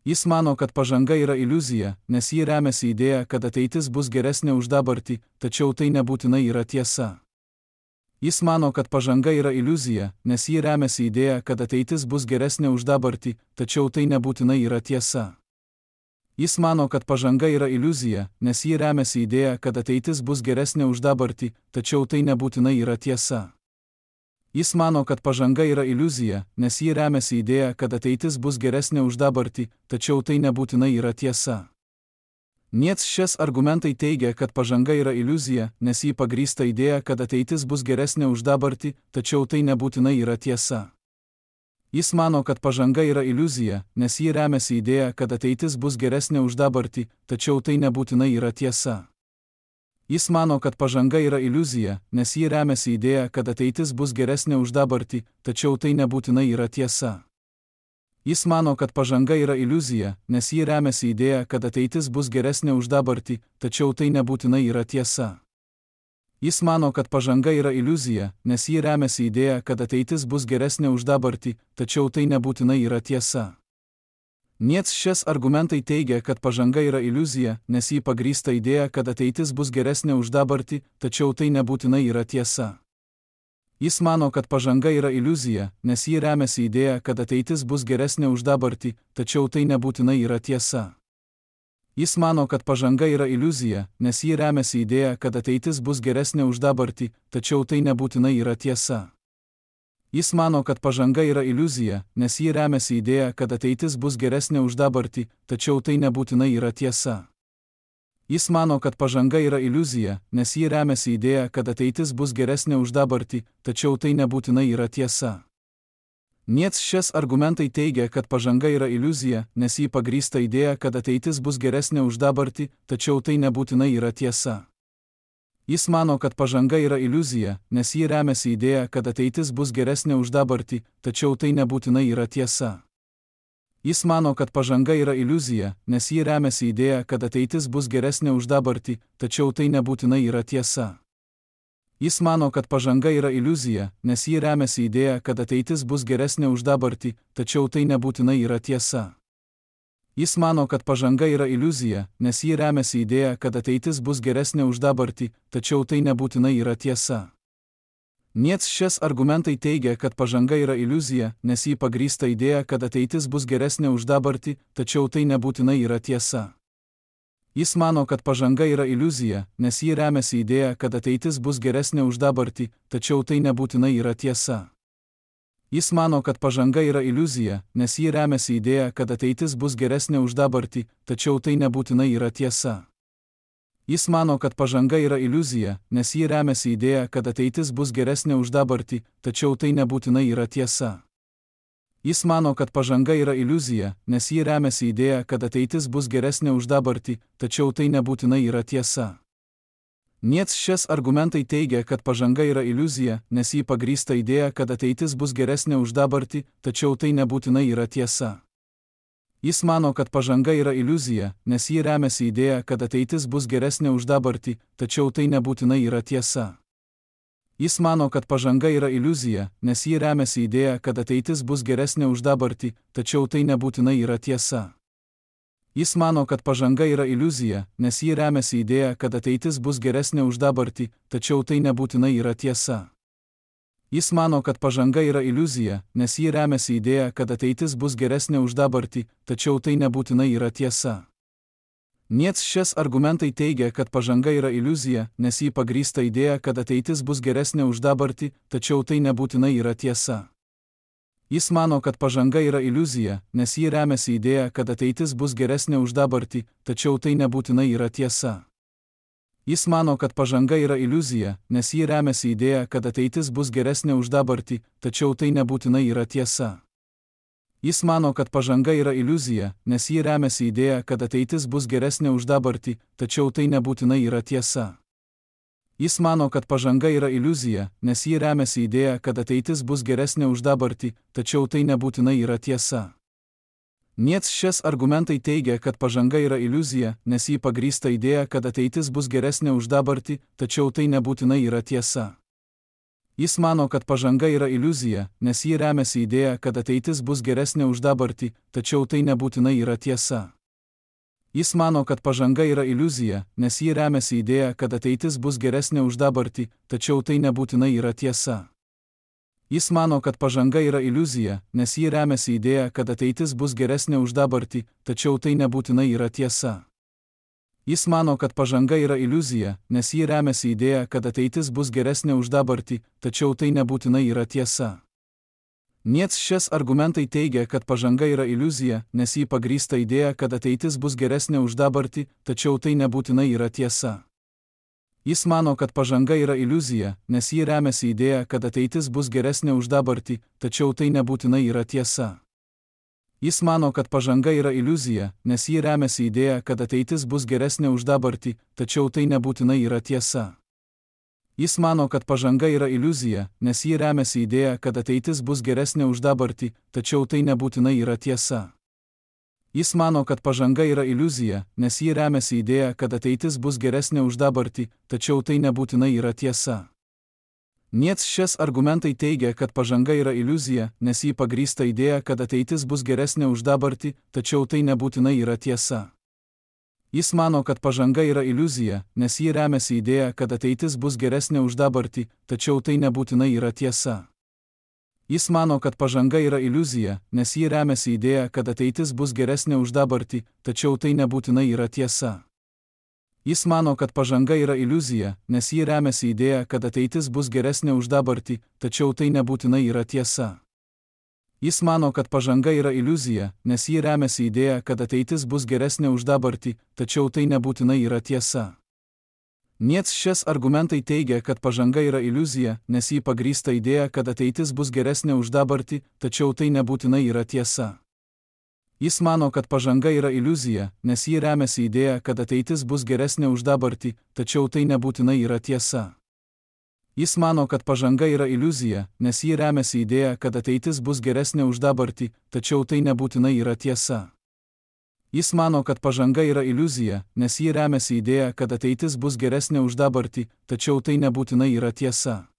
Jis mano, kad pažanga yra iliuzija, nes ji remiasi idėja, kad ateitis bus geresnė už dabartį, tačiau tai nebūtinai yra tiesa. Jis mano, kad pažanga yra iliuzija, nes ji remiasi idėja, kad ateitis bus geresnė už dabartį, tačiau tai nebūtinai yra tiesa. Jis mano, kad pažanga yra iliuzija, nes ji remiasi idėja, kad ateitis bus geresnė už dabartį, tačiau tai nebūtinai yra tiesa. Jis mano, kad pažanga yra iliuzija, nes ji remiasi idėja, kad ateitis bus geresnė už dabartį, tačiau tai nebūtinai yra tiesa. Niec šias argumentai teigia, kad pažanga yra iliuzija, nes ji pagrįsta idėja, kad ateitis bus geresnė už dabartį, tačiau tai nebūtinai yra tiesa. Jis mano, kad pažanga yra iliuzija, nes ji remiasi idėja, kad ateitis bus geresnė už dabartį, tačiau tai nebūtinai yra tiesa. Jis mano, kad pažanga yra iliuzija, nes ji remiasi idėja, kad ateitis bus geresnė už dabartį, tačiau tai nebūtinai yra tiesa. Jis mano, kad pažanga yra iliuzija, nes ji remiasi idėja, kad ateitis bus geresnė už dabartį, tačiau tai nebūtinai yra tiesa. Jis mano, kad pažanga yra iliuzija, nes ji remiasi idėja, kad ateitis bus geresnė už dabartį, tačiau tai nebūtinai yra tiesa. Niec šias argumentai teigia, kad pažanga yra iliuzija, nes ji pagrįsta idėja, kad ateitis bus geresnė už dabartį, tačiau tai nebūtinai yra tiesa. Jis mano, kad pažanga yra iliuzija, nes ji remiasi idėja, kad ateitis bus geresnė už dabartį, tačiau tai nebūtinai yra tiesa. Jis mano, kad pažanga yra iliuzija, nes ji remiasi idėja, kad ateitis bus geresnė už dabartį, tačiau tai nebūtinai yra tiesa. Jis mano, kad pažanga yra iliuzija, nes ji remiasi idėja, kad ateitis bus geresnė už dabartį, tačiau tai nebūtinai yra tiesa. Jis mano, kad pažanga yra iliuzija, nes ji remiasi idėja, kad ateitis bus geresnė už dabartį, tačiau tai nebūtinai yra tiesa. Niec šias argumentai teigia, kad pažanga yra iliuzija, nes ji pagrįsta idėja, kad ateitis bus geresnė už dabartį, tačiau tai nebūtinai yra tiesa. Jis mano, kad pažanga yra iliuzija, nes ji remiasi idėja, kad ateitis bus geresnė už dabartį, tačiau tai nebūtinai yra tiesa. Jis mano, kad pažanga yra iliuzija, nes ji remiasi idėja, kad ateitis bus geresnė už dabartį, tačiau tai nebūtinai yra tiesa. Jis mano, kad pažanga yra iliuzija, nes ji remiasi idėja, kad ateitis bus geresnė už dabartį, tačiau tai nebūtinai yra tiesa. Jis mano, kad pažanga yra iliuzija, nes ji remiasi idėja, kad ateitis bus geresnė už dabartį, tačiau tai nebūtinai yra tiesa. Niec šias argumentai teigia, kad pažanga yra iliuzija, nes ji pagrįsta idėja, kad ateitis bus geresnė už dabartį, tačiau tai nebūtinai yra tiesa. Jis mano, kad pažanga yra iliuzija, nes ji remiasi idėja, kad ateitis bus geresnė už dabartį, tačiau tai nebūtinai yra tiesa. Jis mano, kad pažanga yra iliuzija, nes ji remiasi idėja, kad ateitis bus geresnė už dabartį, tačiau tai nebūtinai yra tiesa. Jis mano, kad pažanga yra iliuzija, nes ji remiasi idėja, kad ateitis bus geresnė už dabartį, tačiau tai nebūtinai yra tiesa. Jis mano, kad pažanga yra iliuzija, nes ji remiasi idėja, kad ateitis bus geresnė už dabartį, tačiau tai nebūtinai yra tiesa. Niec šias argumentai teigia, kad pažanga yra iliuzija, nes ji pagrįsta idėja, kad ateitis bus geresnė už dabartį, tačiau tai nebūtinai yra tiesa. Jis mano, kad pažanga yra iliuzija, nes ji remiasi idėja, kad ateitis bus geresnė už dabartį, tačiau tai nebūtinai yra tiesa. Jis mano, kad pažanga yra iliuzija, nes ji remiasi idėja, kad ateitis bus geresnė už dabartį, tačiau tai nebūtinai yra tiesa. Jis mano, kad pažanga yra iliuzija, nes ji remiasi idėja, kad ateitis bus geresnė už dabartį, tačiau tai nebūtinai yra tiesa. Jis mano, kad pažanga yra iliuzija, nes ji remiasi idėja, kad ateitis bus geresnė už dabartį, tačiau tai nebūtinai yra tiesa. Niec šias argumentai teigia, kad pažanga yra iliuzija, nes ji pagrįsta idėja, kad ateitis bus geresnė už dabartį, tačiau tai nebūtinai yra tiesa. Jis mano, kad pažanga yra iliuzija, nes ji remiasi idėja, kad ateitis bus geresnė už dabartį, tačiau tai nebūtinai yra tiesa. Jis mano, kad pažanga yra iliuzija, nes ji remiasi idėja, kad ateitis bus geresnė už dabartį, tačiau tai nebūtinai yra tiesa. Jis mano, kad pažanga yra iliuzija, nes ji remiasi idėja, kad ateitis bus geresnė už dabartį, tačiau tai nebūtinai yra tiesa. Jis mano, kad pažanga yra iliuzija, nes ji remiasi idėja, kad ateitis bus geresnė už dabartį, tačiau tai nebūtinai yra tiesa. Niec šias argumentai teigia, kad pažanga yra iliuzija, nes ji pagrįsta idėja, kad ateitis bus geresnė už dabartį, tačiau tai nebūtinai yra tiesa. Jis mano, kad pažanga yra iliuzija, nes ji remiasi idėja, kad ateitis bus geresnė už dabartį, tačiau tai nebūtinai yra tiesa. Jis mano, kad pažanga yra iliuzija, nes ji remiasi idėja, kad ateitis bus geresnė už dabartį, tačiau tai nebūtinai yra tiesa. Jis mano, kad pažanga yra iliuzija, nes ji remiasi idėja, kad ateitis bus geresnė už dabartį, tačiau tai nebūtinai yra tiesa. Jis mano, kad pažanga yra iliuzija, nes ji remiasi idėja, kad ateitis bus geresnė už dabartį, tačiau tai nebūtinai yra tiesa. Niec šias argumentai teigia, kad pažanga yra iliuzija, nes ji pagrįsta idėja, kad ateitis bus geresnė už dabartį, tačiau tai nebūtinai yra tiesa. Jis mano, kad pažanga yra iliuzija, nes ji remiasi idėja, kad ateitis bus geresnė už dabartį, tačiau tai nebūtinai yra tiesa. Jis mano, kad pažanga yra iliuzija, nes ji remiasi idėja, kad ateitis bus geresnė už dabartį, tačiau tai nebūtinai yra tiesa. Jis mano, kad pažanga yra iliuzija, nes ji remiasi idėja, kad ateitis bus geresnė už dabartį, tačiau tai nebūtinai yra tiesa. Jis mano, kad pažanga yra iliuzija, nes ji remiasi idėja, kad ateitis bus geresnė už dabartį, tačiau tai nebūtinai yra tiesa. Niec šias argumentai teigia, kad pažanga yra iliuzija, nes ji pagrįsta idėja, kad ateitis bus geresnė už dabartį, tačiau tai nebūtinai yra tiesa. Jis mano, kad pažanga yra iliuzija, nes ji remiasi idėja, kad ateitis bus geresnė už dabartį, tačiau tai nebūtinai yra tiesa. Jis mano, kad pažanga yra iliuzija, nes ji remiasi idėja, kad ateitis bus geresnė už dabartį, tačiau tai nebūtinai yra tiesa. Jis mano, kad pažanga yra iliuzija, nes ji remiasi idėja, kad ateitis bus geresnė už dabartį, tačiau tai nebūtinai yra tiesa. Jis mano, kad pažanga yra iliuzija, nes ji remiasi idėja, kad ateitis bus geresnė už dabartį, tačiau tai nebūtinai yra tiesa. Niec šias argumentai teigia, kad pažanga yra iliuzija, nes ji pagrįsta idėja, kad ateitis bus geresnė už dabartį, tačiau tai nebūtinai yra tiesa. Jis mano, kad pažanga yra iliuzija, nes ji remiasi idėja, kad ateitis bus geresnė už dabartį, tačiau tai nebūtinai yra tiesa. Jis mano, kad pažanga yra iliuzija, nes ji remiasi idėja, kad ateitis bus geresnė už dabartį, tačiau tai nebūtinai yra tiesa. Jis mano, kad pažanga yra iliuzija, nes ji remiasi idėja, kad ateitis bus geresnė už dabartį, tačiau tai nebūtinai yra tiesa.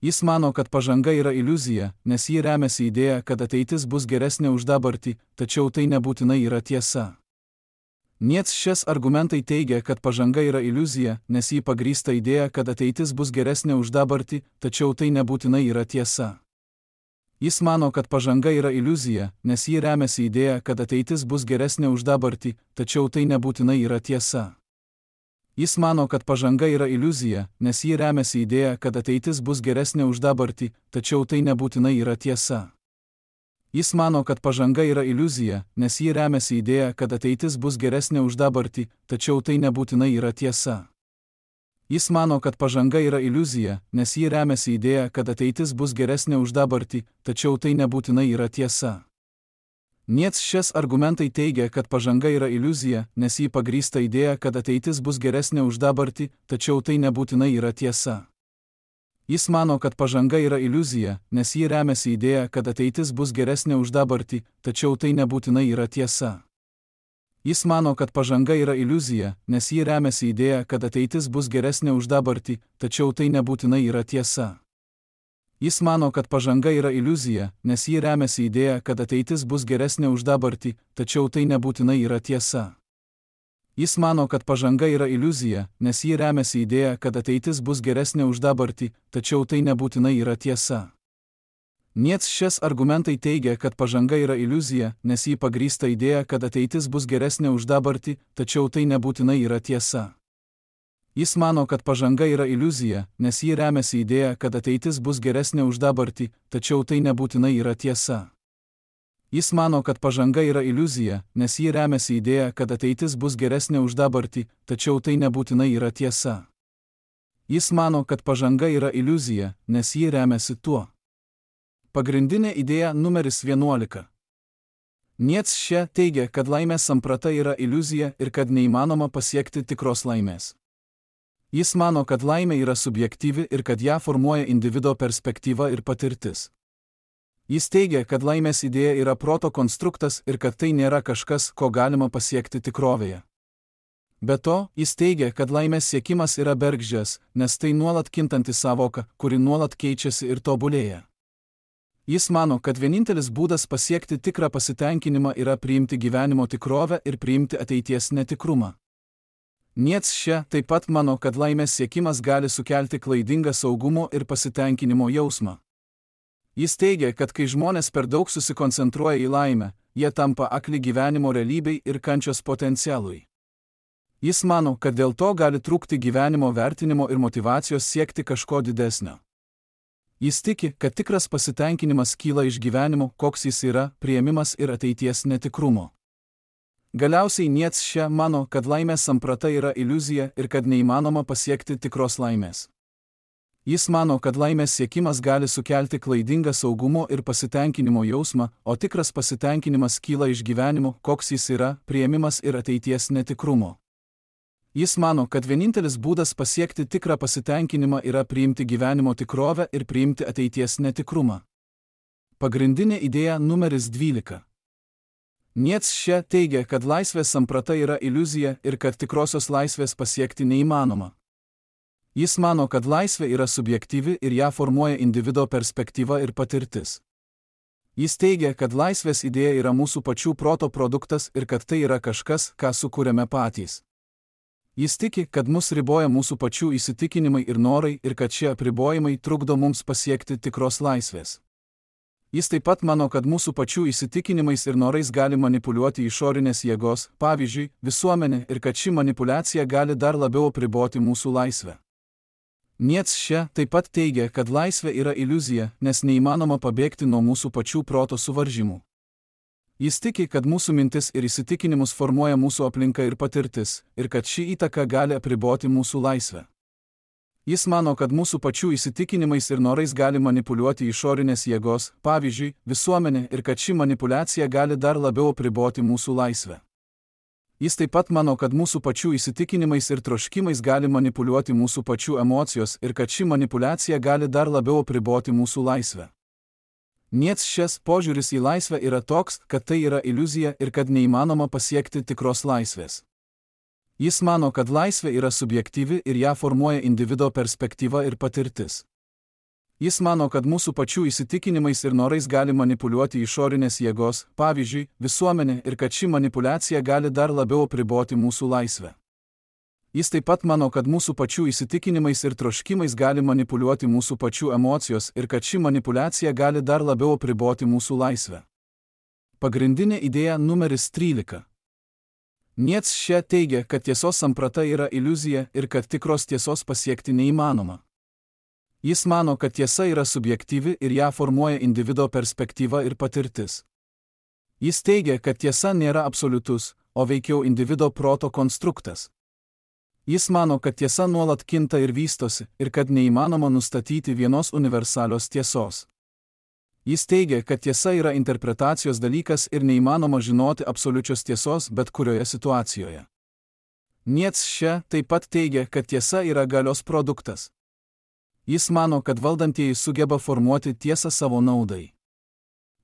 Jis mano, kad pažanga yra iliuzija, nes ji remiasi idėja, kad ateitis bus geresnė už dabartį, tačiau tai nebūtinai yra tiesa. Niec šias argumentai teigia, kad pažanga yra iliuzija, nes ji pagrįsta idėja, kad ateitis bus geresnė už dabartį, tačiau tai nebūtinai yra tiesa. Jis mano, kad pažanga yra iliuzija, nes ji remiasi idėja, kad ateitis bus geresnė už dabartį, tačiau tai nebūtinai yra tiesa. Jis mano, kad pažanga yra iliuzija, nes ji remiasi idėja, kad ateitis bus geresnė už dabartį, tačiau tai nebūtinai yra tiesa. Jis mano, kad pažanga yra iliuzija, nes ji remiasi idėja, kad ateitis bus geresnė už dabartį, tačiau tai nebūtinai yra tiesa. Jis mano, kad pažanga yra iliuzija, nes ji remiasi idėja, kad ateitis bus geresnė už dabartį, tačiau tai nebūtinai yra tiesa. Niec šias argumentai teigia, kad pažanga yra iliuzija, nes ji pagrįsta idėja, kad ateitis bus geresnė už dabartį, tačiau tai nebūtinai yra tiesa. Jis mano, kad pažanga yra iliuzija, nes ji remiasi idėja, kad ateitis bus geresnė už dabartį, tačiau tai nebūtinai yra tiesa. Jis mano, kad pažanga yra iliuzija, nes ji remiasi idėja, kad ateitis bus geresnė už dabartį, tačiau tai nebūtinai yra tiesa. Jis mano, kad pažanga yra iliuzija, nes ji remiasi idėja, kad ateitis bus geresnė už dabartį, tačiau tai nebūtinai yra tiesa. Jis mano, kad pažanga yra iliuzija, nes ji remiasi idėja, kad ateitis bus geresnė už dabartį, tačiau tai nebūtinai yra tiesa. Niec šias argumentai teigia, kad pažanga yra iliuzija, nes ji pagrįsta idėja, kad ateitis bus geresnė už dabartį, tačiau tai nebūtinai yra tiesa. Jis mano, kad pažanga yra iliuzija, nes ji remiasi idėja, kad ateitis bus geresnė už dabartį, tačiau tai nebūtinai yra tiesa. Jis mano, kad pažanga yra iliuzija, nes ji remiasi idėja, kad ateitis bus geresnė už dabartį, tačiau tai nebūtinai yra tiesa. Jis mano, kad pažanga yra iliuzija, nes ji remiasi tuo. Pagrindinė idėja numeris vienuolika. Niec šia teigia, kad laimės samprata yra iliuzija ir kad neįmanoma pasiekti tikros laimės. Jis mano, kad laimė yra subjektyvi ir kad ją formuoja individo perspektyva ir patirtis. Jis teigia, kad laimės idėja yra proto konstruktas ir kad tai nėra kažkas, ko galima pasiekti tikrovėje. Be to, jis teigia, kad laimės siekimas yra bergždžias, nes tai nuolat kintanti savoka, kuri nuolat keičiasi ir tobulėja. Jis mano, kad vienintelis būdas pasiekti tikrą pasitenkinimą yra priimti gyvenimo tikrovę ir priimti ateities netikrumą. Nietzsche taip pat mano, kad laimės siekimas gali sukelti klaidingą saugumo ir pasitenkinimo jausmą. Jis teigia, kad kai žmonės per daug susikoncentruoja į laimę, jie tampa akli gyvenimo realybei ir kančios potencialui. Jis mano, kad dėl to gali trūkti gyvenimo vertinimo ir motyvacijos siekti kažko didesnio. Jis tiki, kad tikras pasitenkinimas kyla iš gyvenimo, koks jis yra, priėmimas ir ateities netikrumo. Galiausiai Nietzsche mano, kad laimės samprata yra iliuzija ir kad neįmanoma pasiekti tikros laimės. Jis mano, kad laimės siekimas gali sukelti klaidingą saugumo ir pasitenkinimo jausmą, o tikras pasitenkinimas kyla iš gyvenimo, koks jis yra, priėmimas ir ateities netikrumo. Jis mano, kad vienintelis būdas pasiekti tikrą pasitenkinimą yra priimti gyvenimo tikrovę ir priimti ateities netikrumą. Pagrindinė idėja numeris dvylika. Nietzsche teigia, kad laisvės samprata yra iliuzija ir kad tikrosios laisvės pasiekti neįmanoma. Jis mano, kad laisvė yra subjektyvi ir ją formuoja individo perspektyva ir patirtis. Jis teigia, kad laisvės idėja yra mūsų pačių proto produktas ir kad tai yra kažkas, ką sukūrėme patys. Jis tiki, kad mus riboja mūsų pačių įsitikinimai ir norai ir kad šie apribojimai trukdo mums pasiekti tikros laisvės. Jis taip pat mano, kad mūsų pačių įsitikinimais ir norais gali manipuliuoti išorinės jėgos, pavyzdžiui, visuomenė, ir kad ši manipuliacija gali dar labiau apriboti mūsų laisvę. Nietzsche taip pat teigia, kad laisvė yra iliuzija, nes neįmanoma pabėgti nuo mūsų pačių proto suvaržymų. Jis tiki, kad mūsų mintis ir įsitikinimus formuoja mūsų aplinka ir patirtis, ir kad ši įtaka gali apriboti mūsų laisvę. Jis mano, kad mūsų pačių įsitikinimais ir norais gali manipuliuoti išorinės jėgos, pavyzdžiui, visuomenė, ir kad ši manipuliacija gali dar labiau apriboti mūsų laisvę. Jis taip pat mano, kad mūsų pačių įsitikinimais ir troškimais gali manipuliuoti mūsų pačių emocijos ir kad ši manipuliacija gali dar labiau apriboti mūsų laisvę. Nietzschės požiūris į laisvę yra toks, kad tai yra iliuzija ir kad neįmanoma pasiekti tikros laisvės. Jis mano, kad laisvė yra subjektyvi ir ją formuoja individo perspektyva ir patirtis. Jis mano, kad mūsų pačių įsitikinimais ir norais gali manipuliuoti išorinės jėgos, pavyzdžiui, visuomenė, ir kad ši manipuliacija gali dar labiau apriboti mūsų laisvę. Jis taip pat mano, kad mūsų pačių įsitikinimais ir troškimais gali manipuliuoti mūsų pačių emocijos ir kad ši manipuliacija gali dar labiau apriboti mūsų laisvę. Pagrindinė idėja numeris trylika. Nietzsche teigia, kad tiesos samprata yra iliuzija ir kad tikros tiesos pasiekti neįmanoma. Jis mano, kad tiesa yra subjektyvi ir ją formuoja individo perspektyva ir patirtis. Jis teigia, kad tiesa nėra absoliutus, o veikiau individo proto konstruktas. Jis mano, kad tiesa nuolat kinta ir vystosi ir kad neįmanoma nustatyti vienos universalios tiesos. Jis teigia, kad tiesa yra interpretacijos dalykas ir neįmanoma žinoti absoliučios tiesos bet kurioje situacijoje. Nietzsche taip pat teigia, kad tiesa yra galios produktas. Jis mano, kad valdantieji sugeba formuoti tiesą savo naudai.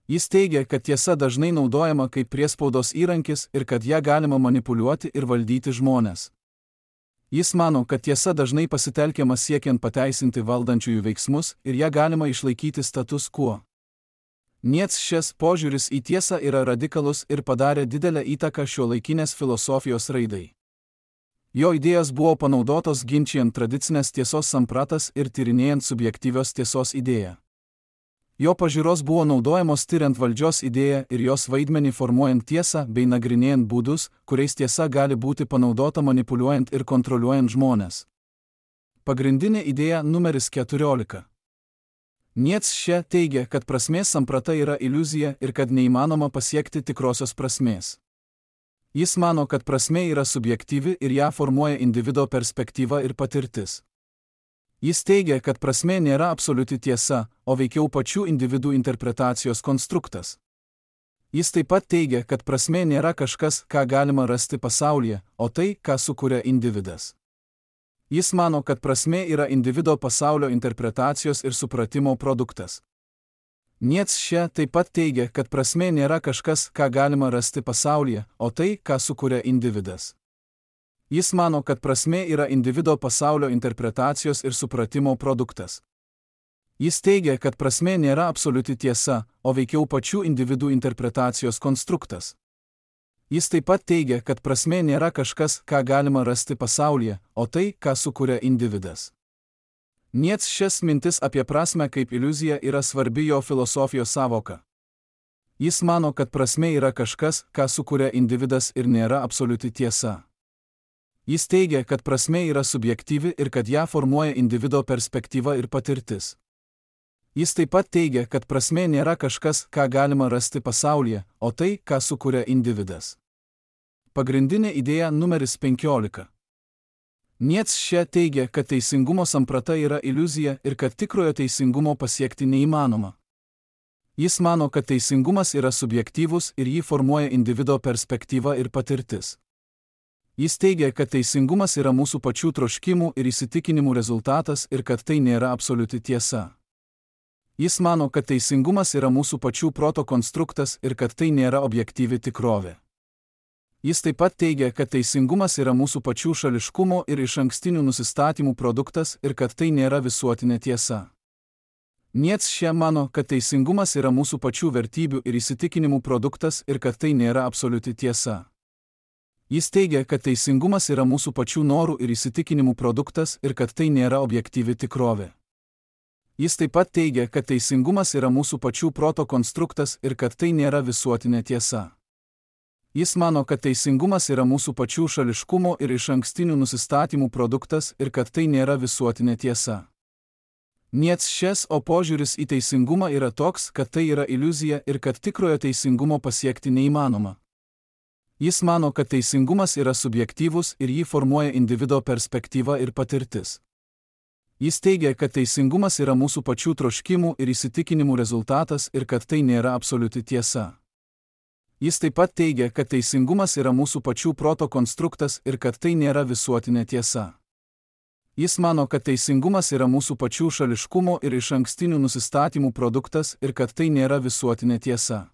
Jis teigia, kad tiesa dažnai naudojama kaip priespaudos įrankis ir kad ją galima manipuliuoti ir valdyti žmones. Jis mano, kad tiesa dažnai pasitelkiama siekiant pateisinti valdančiųjų veiksmus ir ją galima išlaikyti status quo. Nietzschės požiūris į tiesą yra radikalus ir padarė didelę įtaką šiuolaikinės filosofijos raidai. Jo idėjos buvo panaudotos ginčijant tradicinės tiesos sampratas ir tyrinėjant subjektyvios tiesos idėją. Jo pažiūros buvo naudojamos tyriant valdžios idėją ir jos vaidmenį formuojant tiesą bei nagrinėjant būdus, kuriais tiesa gali būti panaudota manipuliuojant ir kontroliuojant žmones. Pagrindinė idėja numeris keturiolika. Nietzsche teigia, kad prasmės samprata yra iliuzija ir kad neįmanoma pasiekti tikrosios prasmės. Jis mano, kad prasmė yra subjektyvi ir ją formuoja individo perspektyva ir patirtis. Jis teigia, kad prasmė nėra absoliuti tiesa, o veikiau pačių individų interpretacijos konstruktas. Jis taip pat teigia, kad prasmė nėra kažkas, ką galima rasti pasaulyje, o tai, ką sukuria individas. Jis mano, kad prasmė yra individo pasaulio interpretacijos ir supratimo produktas. Nietzsche taip pat teigia, kad prasmė nėra kažkas, ką galima rasti pasaulyje, o tai, ką sukuria individas. Jis mano, kad prasmė yra individo pasaulio interpretacijos ir supratimo produktas. Jis teigia, kad prasmė nėra absoliuti tiesa, o veikiau pačių individų interpretacijos konstruktas. Jis taip pat teigia, kad prasmė nėra kažkas, ką galima rasti pasaulyje, o tai, ką sukuria individas. Nietzsches mintis apie prasmę kaip iliuziją yra svarbi jo filosofijos sąvoka. Jis mano, kad prasmė yra kažkas, ką sukuria individas ir nėra absoliuti tiesa. Jis teigia, kad prasmė yra subjektyvi ir kad ją formuoja individo perspektyva ir patirtis. Jis taip pat teigia, kad prasmė nėra kažkas, ką galima rasti pasaulyje, o tai, ką sukuria individas. Pagrindinė idėja numeris penkiolika. Nietzsche teigia, kad teisingumo samprata yra iliuzija ir kad tikrojo teisingumo pasiekti neįmanoma. Jis mano, kad teisingumas yra subjektyvus ir jį formuoja individo perspektyva ir patirtis. Jis teigia, kad teisingumas yra mūsų pačių troškimų ir įsitikinimų rezultatas ir kad tai nėra absoliuti tiesa. Jis mano, kad teisingumas yra mūsų pačių proto konstruktas ir kad tai nėra objektyvi tikrovė. Jis taip pat teigia, kad teisingumas yra mūsų pačių šališkumo ir išankstinių nusistatymų produktas ir kad tai nėra visuotinė tiesa. Nietzsche mano, kad teisingumas yra mūsų pačių vertybių ir įsitikinimų produktas ir kad tai nėra absoliuti tiesa. Jis teigia, kad teisingumas yra mūsų pačių norų ir įsitikinimų produktas ir kad tai nėra objektyvi tikrovė. Jis taip pat teigia, kad teisingumas yra mūsų pačių proto konstruktas ir kad tai nėra visuotinė tiesa. Jis mano, kad teisingumas yra mūsų pačių šališkumo ir išankstinių nusistatymų produktas ir kad tai nėra visuotinė tiesa. Nietzsches o požiūris į teisingumą yra toks, kad tai yra iliuzija ir kad tikrojo teisingumo pasiekti neįmanoma. Jis mano, kad teisingumas yra subjektyvus ir jį formuoja individo perspektyva ir patirtis. Jis teigia, kad teisingumas yra mūsų pačių troškimų ir įsitikinimų rezultatas ir kad tai nėra absoliuti tiesa. Jis taip pat teigia, kad teisingumas yra mūsų pačių proto konstruktas ir kad tai nėra visuotinė tiesa. Jis mano, kad teisingumas yra mūsų pačių šališkumo ir išankstinių nusistatymų produktas ir kad tai nėra visuotinė tiesa.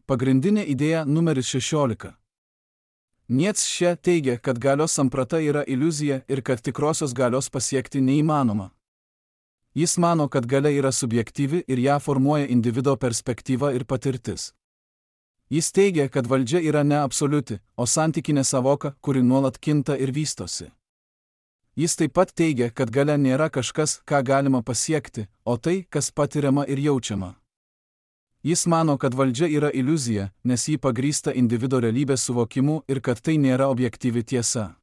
Pagrindinė idėja numeris šešiolika. Nietzsche teigia, kad galios samprata yra iliuzija ir kad tikrosios galios pasiekti neįmanoma. Jis mano, kad galia yra subjektyvi ir ją formuoja individo perspektyva ir patirtis. Jis teigia, kad valdžia yra ne absoliuti, o santykinė savoka, kuri nuolat kinta ir vystosi. Jis taip pat teigia, kad galia nėra kažkas, ką galima pasiekti, o tai, kas patiriama ir jaučiama. Jis mano, kad valdžia yra iliuzija, nes ji pagrįsta individo realybės suvokimu ir kad tai nėra objektyvi tiesa.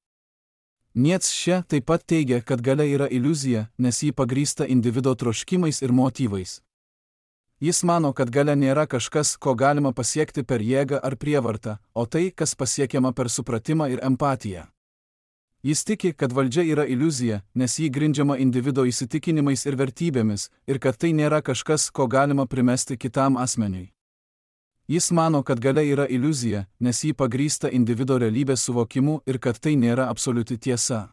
Nietzsche taip pat teigia, kad galia yra iliuzija, nes ji pagrįsta individo troškimais ir motyvais. Jis mano, kad galia nėra kažkas, ko galima pasiekti per jėgą ar prievartą, o tai, kas pasiekiama per supratimą ir empatiją. Jis tiki, kad valdžia yra iliuzija, nes ji grindžiama individo įsitikinimais ir vertybėmis, ir kad tai nėra kažkas, ko galima primesti kitam asmeniui. Jis mano, kad galia yra iliuzija, nes ji pagrįsta individo realybės suvokimu ir kad tai nėra absoliuti tiesa.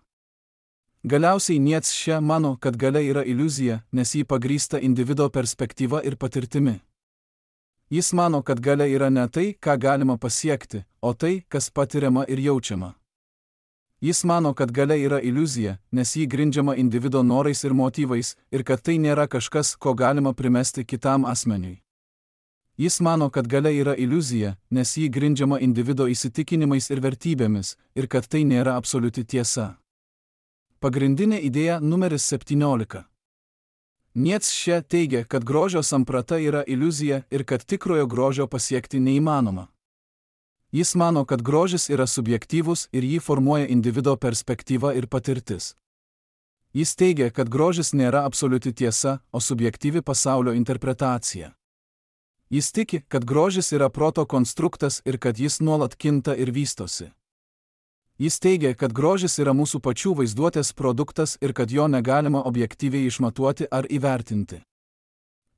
Galiausiai Nietzsche mano, kad galia yra iliuzija, nes ji pagrįsta individo perspektyva ir patirtimi. Jis mano, kad galia yra ne tai, ką galima pasiekti, o tai, kas patiriama ir jaučiama. Jis mano, kad galia yra iliuzija, nes ji grindžiama individo norais ir motyvais, ir kad tai nėra kažkas, ko galima primesti kitam asmeniui. Jis mano, kad galia yra iliuzija, nes ji grindžiama individo įsitikinimais ir vertybėmis, ir kad tai nėra absoliuti tiesa. Pagrindinė idėja numeris septyniolika. Nietzsche teigia, kad grožio samprata yra iliuzija ir kad tikrojo grožio pasiekti neįmanoma. Jis mano, kad grožis yra subjektyvus ir jį formuoja individo perspektyva ir patirtis. Jis teigia, kad grožis nėra absoliuti tiesa, o subjektyvi pasaulio interpretacija. Jis tiki, kad grožis yra proto konstruktas ir kad jis nuolat kinta ir vystosi. Jis teigia, kad grožis yra mūsų pačių vaizduotės produktas ir kad jo negalima objektyviai išmatuoti ar įvertinti.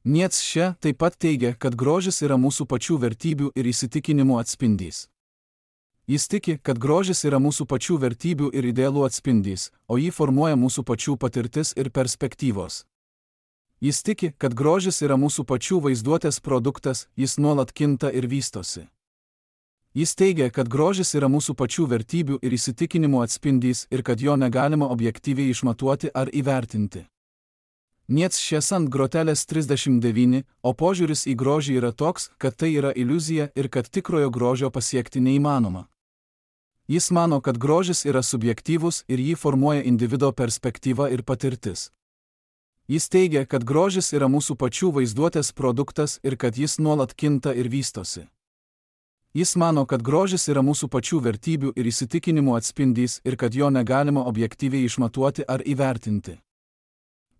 Nietzsche taip pat teigia, kad grožis yra mūsų pačių vertybių ir įsitikinimų atspindys. Jis tiki, kad grožis yra mūsų pačių vertybių ir idealų atspindys, o jį formuoja mūsų pačių patirtis ir perspektyvos. Jis tiki, kad grožis yra mūsų pačių vaizduotės produktas, jis nuolat kinta ir vystosi. Jis teigia, kad grožis yra mūsų pačių vertybių ir įsitikinimų atspindys ir kad jo negalima objektyviai išmatuoti ar įvertinti. Niec šies ant grotelės trisdešimt devyni, o požiūris į grožį yra toks, kad tai yra iliuzija ir kad tikrojo grožio pasiekti neįmanoma. Jis mano, kad grožis yra subjektyvus ir jį formuoja individo perspektyva ir patirtis. Jis teigia, kad grožis yra mūsų pačių vaizduotės produktas ir kad jis nuolat kinta ir vystosi. Jis mano, kad grožis yra mūsų pačių vertybių ir įsitikinimų atspindys ir kad jo negalima objektyviai išmatuoti ar įvertinti.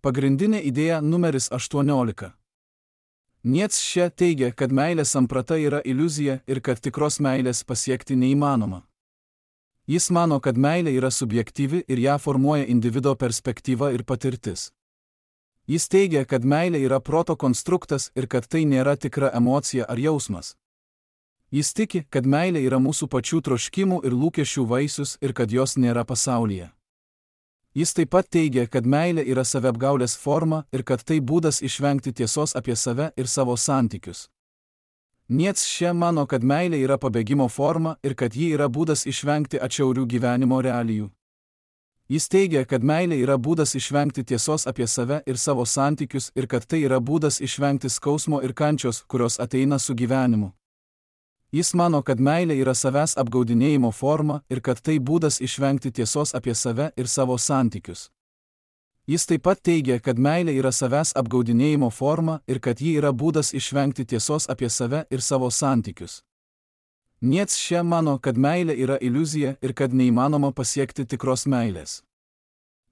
Pagrindinė idėja numeris aštuoniolika. Niec šia teigia, kad meilės samprata yra iliuzija ir kad tikros meilės pasiekti neįmanoma. Jis mano, kad meilė yra subjektyvi ir ją formuoja individo perspektyva ir patirtis. Jis teigia, kad meilė yra proto konstruktas ir kad tai nėra tikra emocija ar jausmas. Jis tiki, kad meilė yra mūsų pačių troškimų ir lūkesčių vaisius ir kad jos nėra pasaulyje. Jis taip pat teigia, kad meilė yra saviapgaulės forma ir kad tai būdas išvengti tiesos apie save ir savo santykius. Niec šia mano, kad meilė yra pabėgimo forma ir kad ji yra būdas išvengti atšiaurių gyvenimo realijų. Jis teigia, kad meilė yra būdas išvengti tiesos apie save ir savo santykius ir kad tai yra būdas išvengti skausmo ir kančios, kurios ateina su gyvenimu. Jis mano, kad meilė yra savęs apgaudinėjimo forma ir kad tai būdas išvengti tiesos apie save ir savo santykius. Jis taip pat teigia, kad meilė yra savęs apgaudinėjimo forma ir kad ji yra būdas išvengti tiesos apie save ir savo santykius. Niec šia mano, kad meilė yra iliuzija ir kad neįmanoma pasiekti tikros meilės.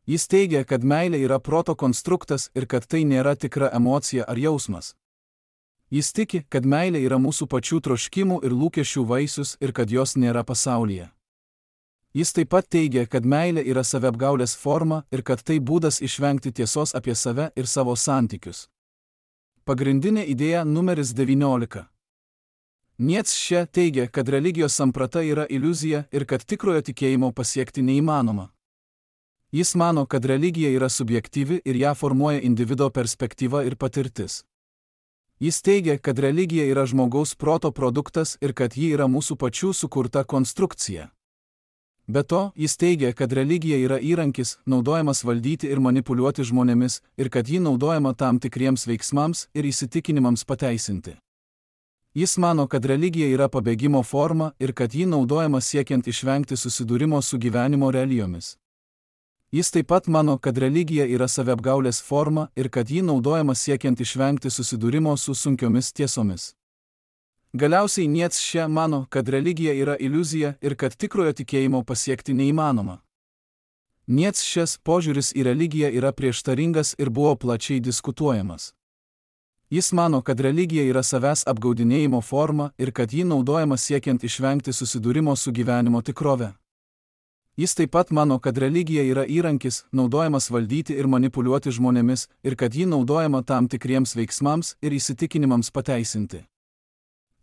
Jis teigia, kad meilė yra proto konstruktas ir kad tai nėra tikra emocija ar jausmas. Jis tiki, kad meilė yra mūsų pačių troškimų ir lūkesčių vaisius ir kad jos nėra pasaulyje. Jis taip pat teigia, kad meilė yra saviapgaulės forma ir kad tai būdas išvengti tiesos apie save ir savo santykius. Pagrindinė idėja numeris devyniolika. Niec šia teigia, kad religijos samprata yra iliuzija ir kad tikrojo tikėjimo pasiekti neįmanoma. Jis mano, kad religija yra subjektyvi ir ją formuoja individo perspektyva ir patirtis. Jis teigia, kad religija yra žmogaus proto produktas ir kad ji yra mūsų pačių sukurta konstrukcija. Be to, jis teigia, kad religija yra įrankis, naudojamas valdyti ir manipuliuoti žmonėmis, ir kad ji naudojama tam tikriems veiksmams ir įsitikinimams pateisinti. Jis mano, kad religija yra pabėgimo forma ir kad ji naudojama siekiant išvengti susidūrimo su gyvenimo realijomis. Jis taip pat mano, kad religija yra saviapgaulės forma ir kad ji naudojama siekiant išvengti susidūrimo su sunkiomis tiesomis. Galiausiai niec šia mano, kad religija yra iliuzija ir kad tikrojo tikėjimo pasiekti neįmanoma. Niec šias požiūris į religiją yra prieštaringas ir buvo plačiai diskutuojamas. Jis mano, kad religija yra savęs apgaudinėjimo forma ir kad ji naudojama siekiant išvengti susidūrimo su gyvenimo tikrove. Jis taip pat mano, kad religija yra įrankis, naudojamas valdyti ir manipuliuoti žmonėmis ir kad ji naudojama tam tikriems veiksmams ir įsitikinimams pateisinti.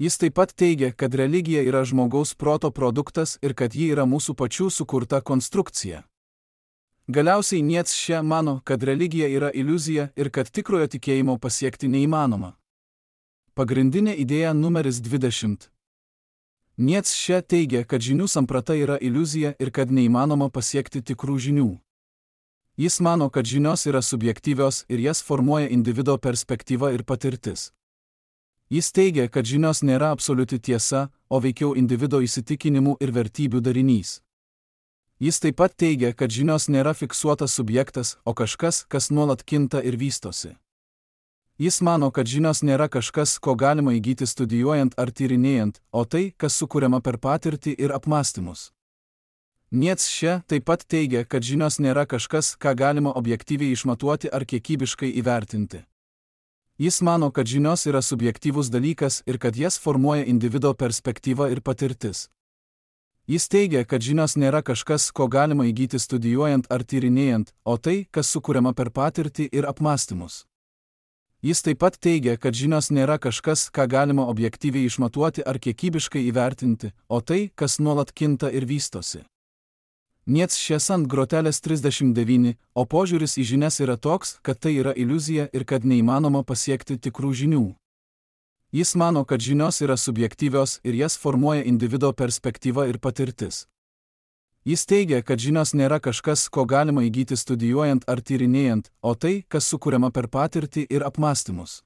Jis taip pat teigia, kad religija yra žmogaus proto produktas ir kad ji yra mūsų pačių sukurta konstrukcija. Galiausiai niec šia mano, kad religija yra iliuzija ir kad tikrojo tikėjimo pasiekti neįmanoma. Pagrindinė idėja numeris dvidešimt. Niec šia teigia, kad žinių samprata yra iliuzija ir kad neįmanoma pasiekti tikrų žinių. Jis mano, kad žinios yra subjektyvios ir jas formuoja individo perspektyva ir patirtis. Jis teigia, kad žinios nėra absoliuti tiesa, o veikiau individo įsitikinimų ir vertybių darinys. Jis taip pat teigia, kad žinios nėra fiksuotas subjektas, o kažkas, kas nuolat kinta ir vystosi. Jis mano, kad žinios nėra kažkas, ko galima įgyti studijuojant ar tyrinėjant, o tai, kas sukuriama per patirtį ir apmąstymus. Niec šia taip pat teigia, kad žinios nėra kažkas, ką galima objektyviai išmatuoti ar kiekybiškai įvertinti. Jis mano, kad žinios yra subjektyvus dalykas ir kad jas formuoja individo perspektyva ir patirtis. Jis teigia, kad žinios nėra kažkas, ko galima įgyti studijuojant ar tyrinėjant, o tai, kas sukuriama per patirtį ir apmąstymus. Jis taip pat teigia, kad žinios nėra kažkas, ką galima objektyviai išmatuoti ar kiekybiškai įvertinti, o tai, kas nuolat kinta ir vystosi. Niec šias ant grotelės trisdešimt devyni, o požiūris į žinias yra toks, kad tai yra iliuzija ir kad neįmanoma pasiekti tikrų žinių. Jis mano, kad žinios yra subjektyvios ir jas formuoja individo perspektyva ir patirtis. Jis teigia, kad žinios nėra kažkas, ko galima įgyti studijuojant ar tyrinėjant, o tai, kas sukuriama per patirtį ir apmąstymus.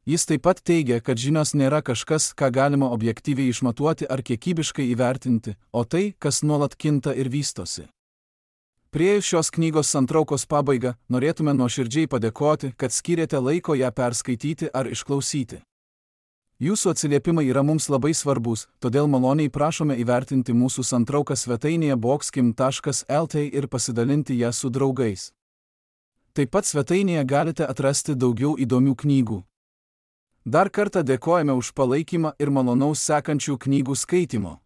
Jis taip pat teigia, kad žinios nėra kažkas, ką galima objektyviai išmatuoti ar kiekybiškai įvertinti, o tai, kas nuolat kinta ir vystosi. Priėjus šios knygos santraukos pabaigą, norėtume nuoširdžiai padėkoti, kad skyrėte laiko ją perskaityti ar išklausyti. Jūsų atsiliepimai yra mums labai svarbus, todėl maloniai prašome įvertinti mūsų santrauką svetainėje boxkim taškas el t ir pasidalinti ją su draugais. Taip pat svetainėje galite atrasti daugiau įdomių knygų. Dar kartą dėkojame už palaikymą ir malonaus sekančių knygų skaitimo.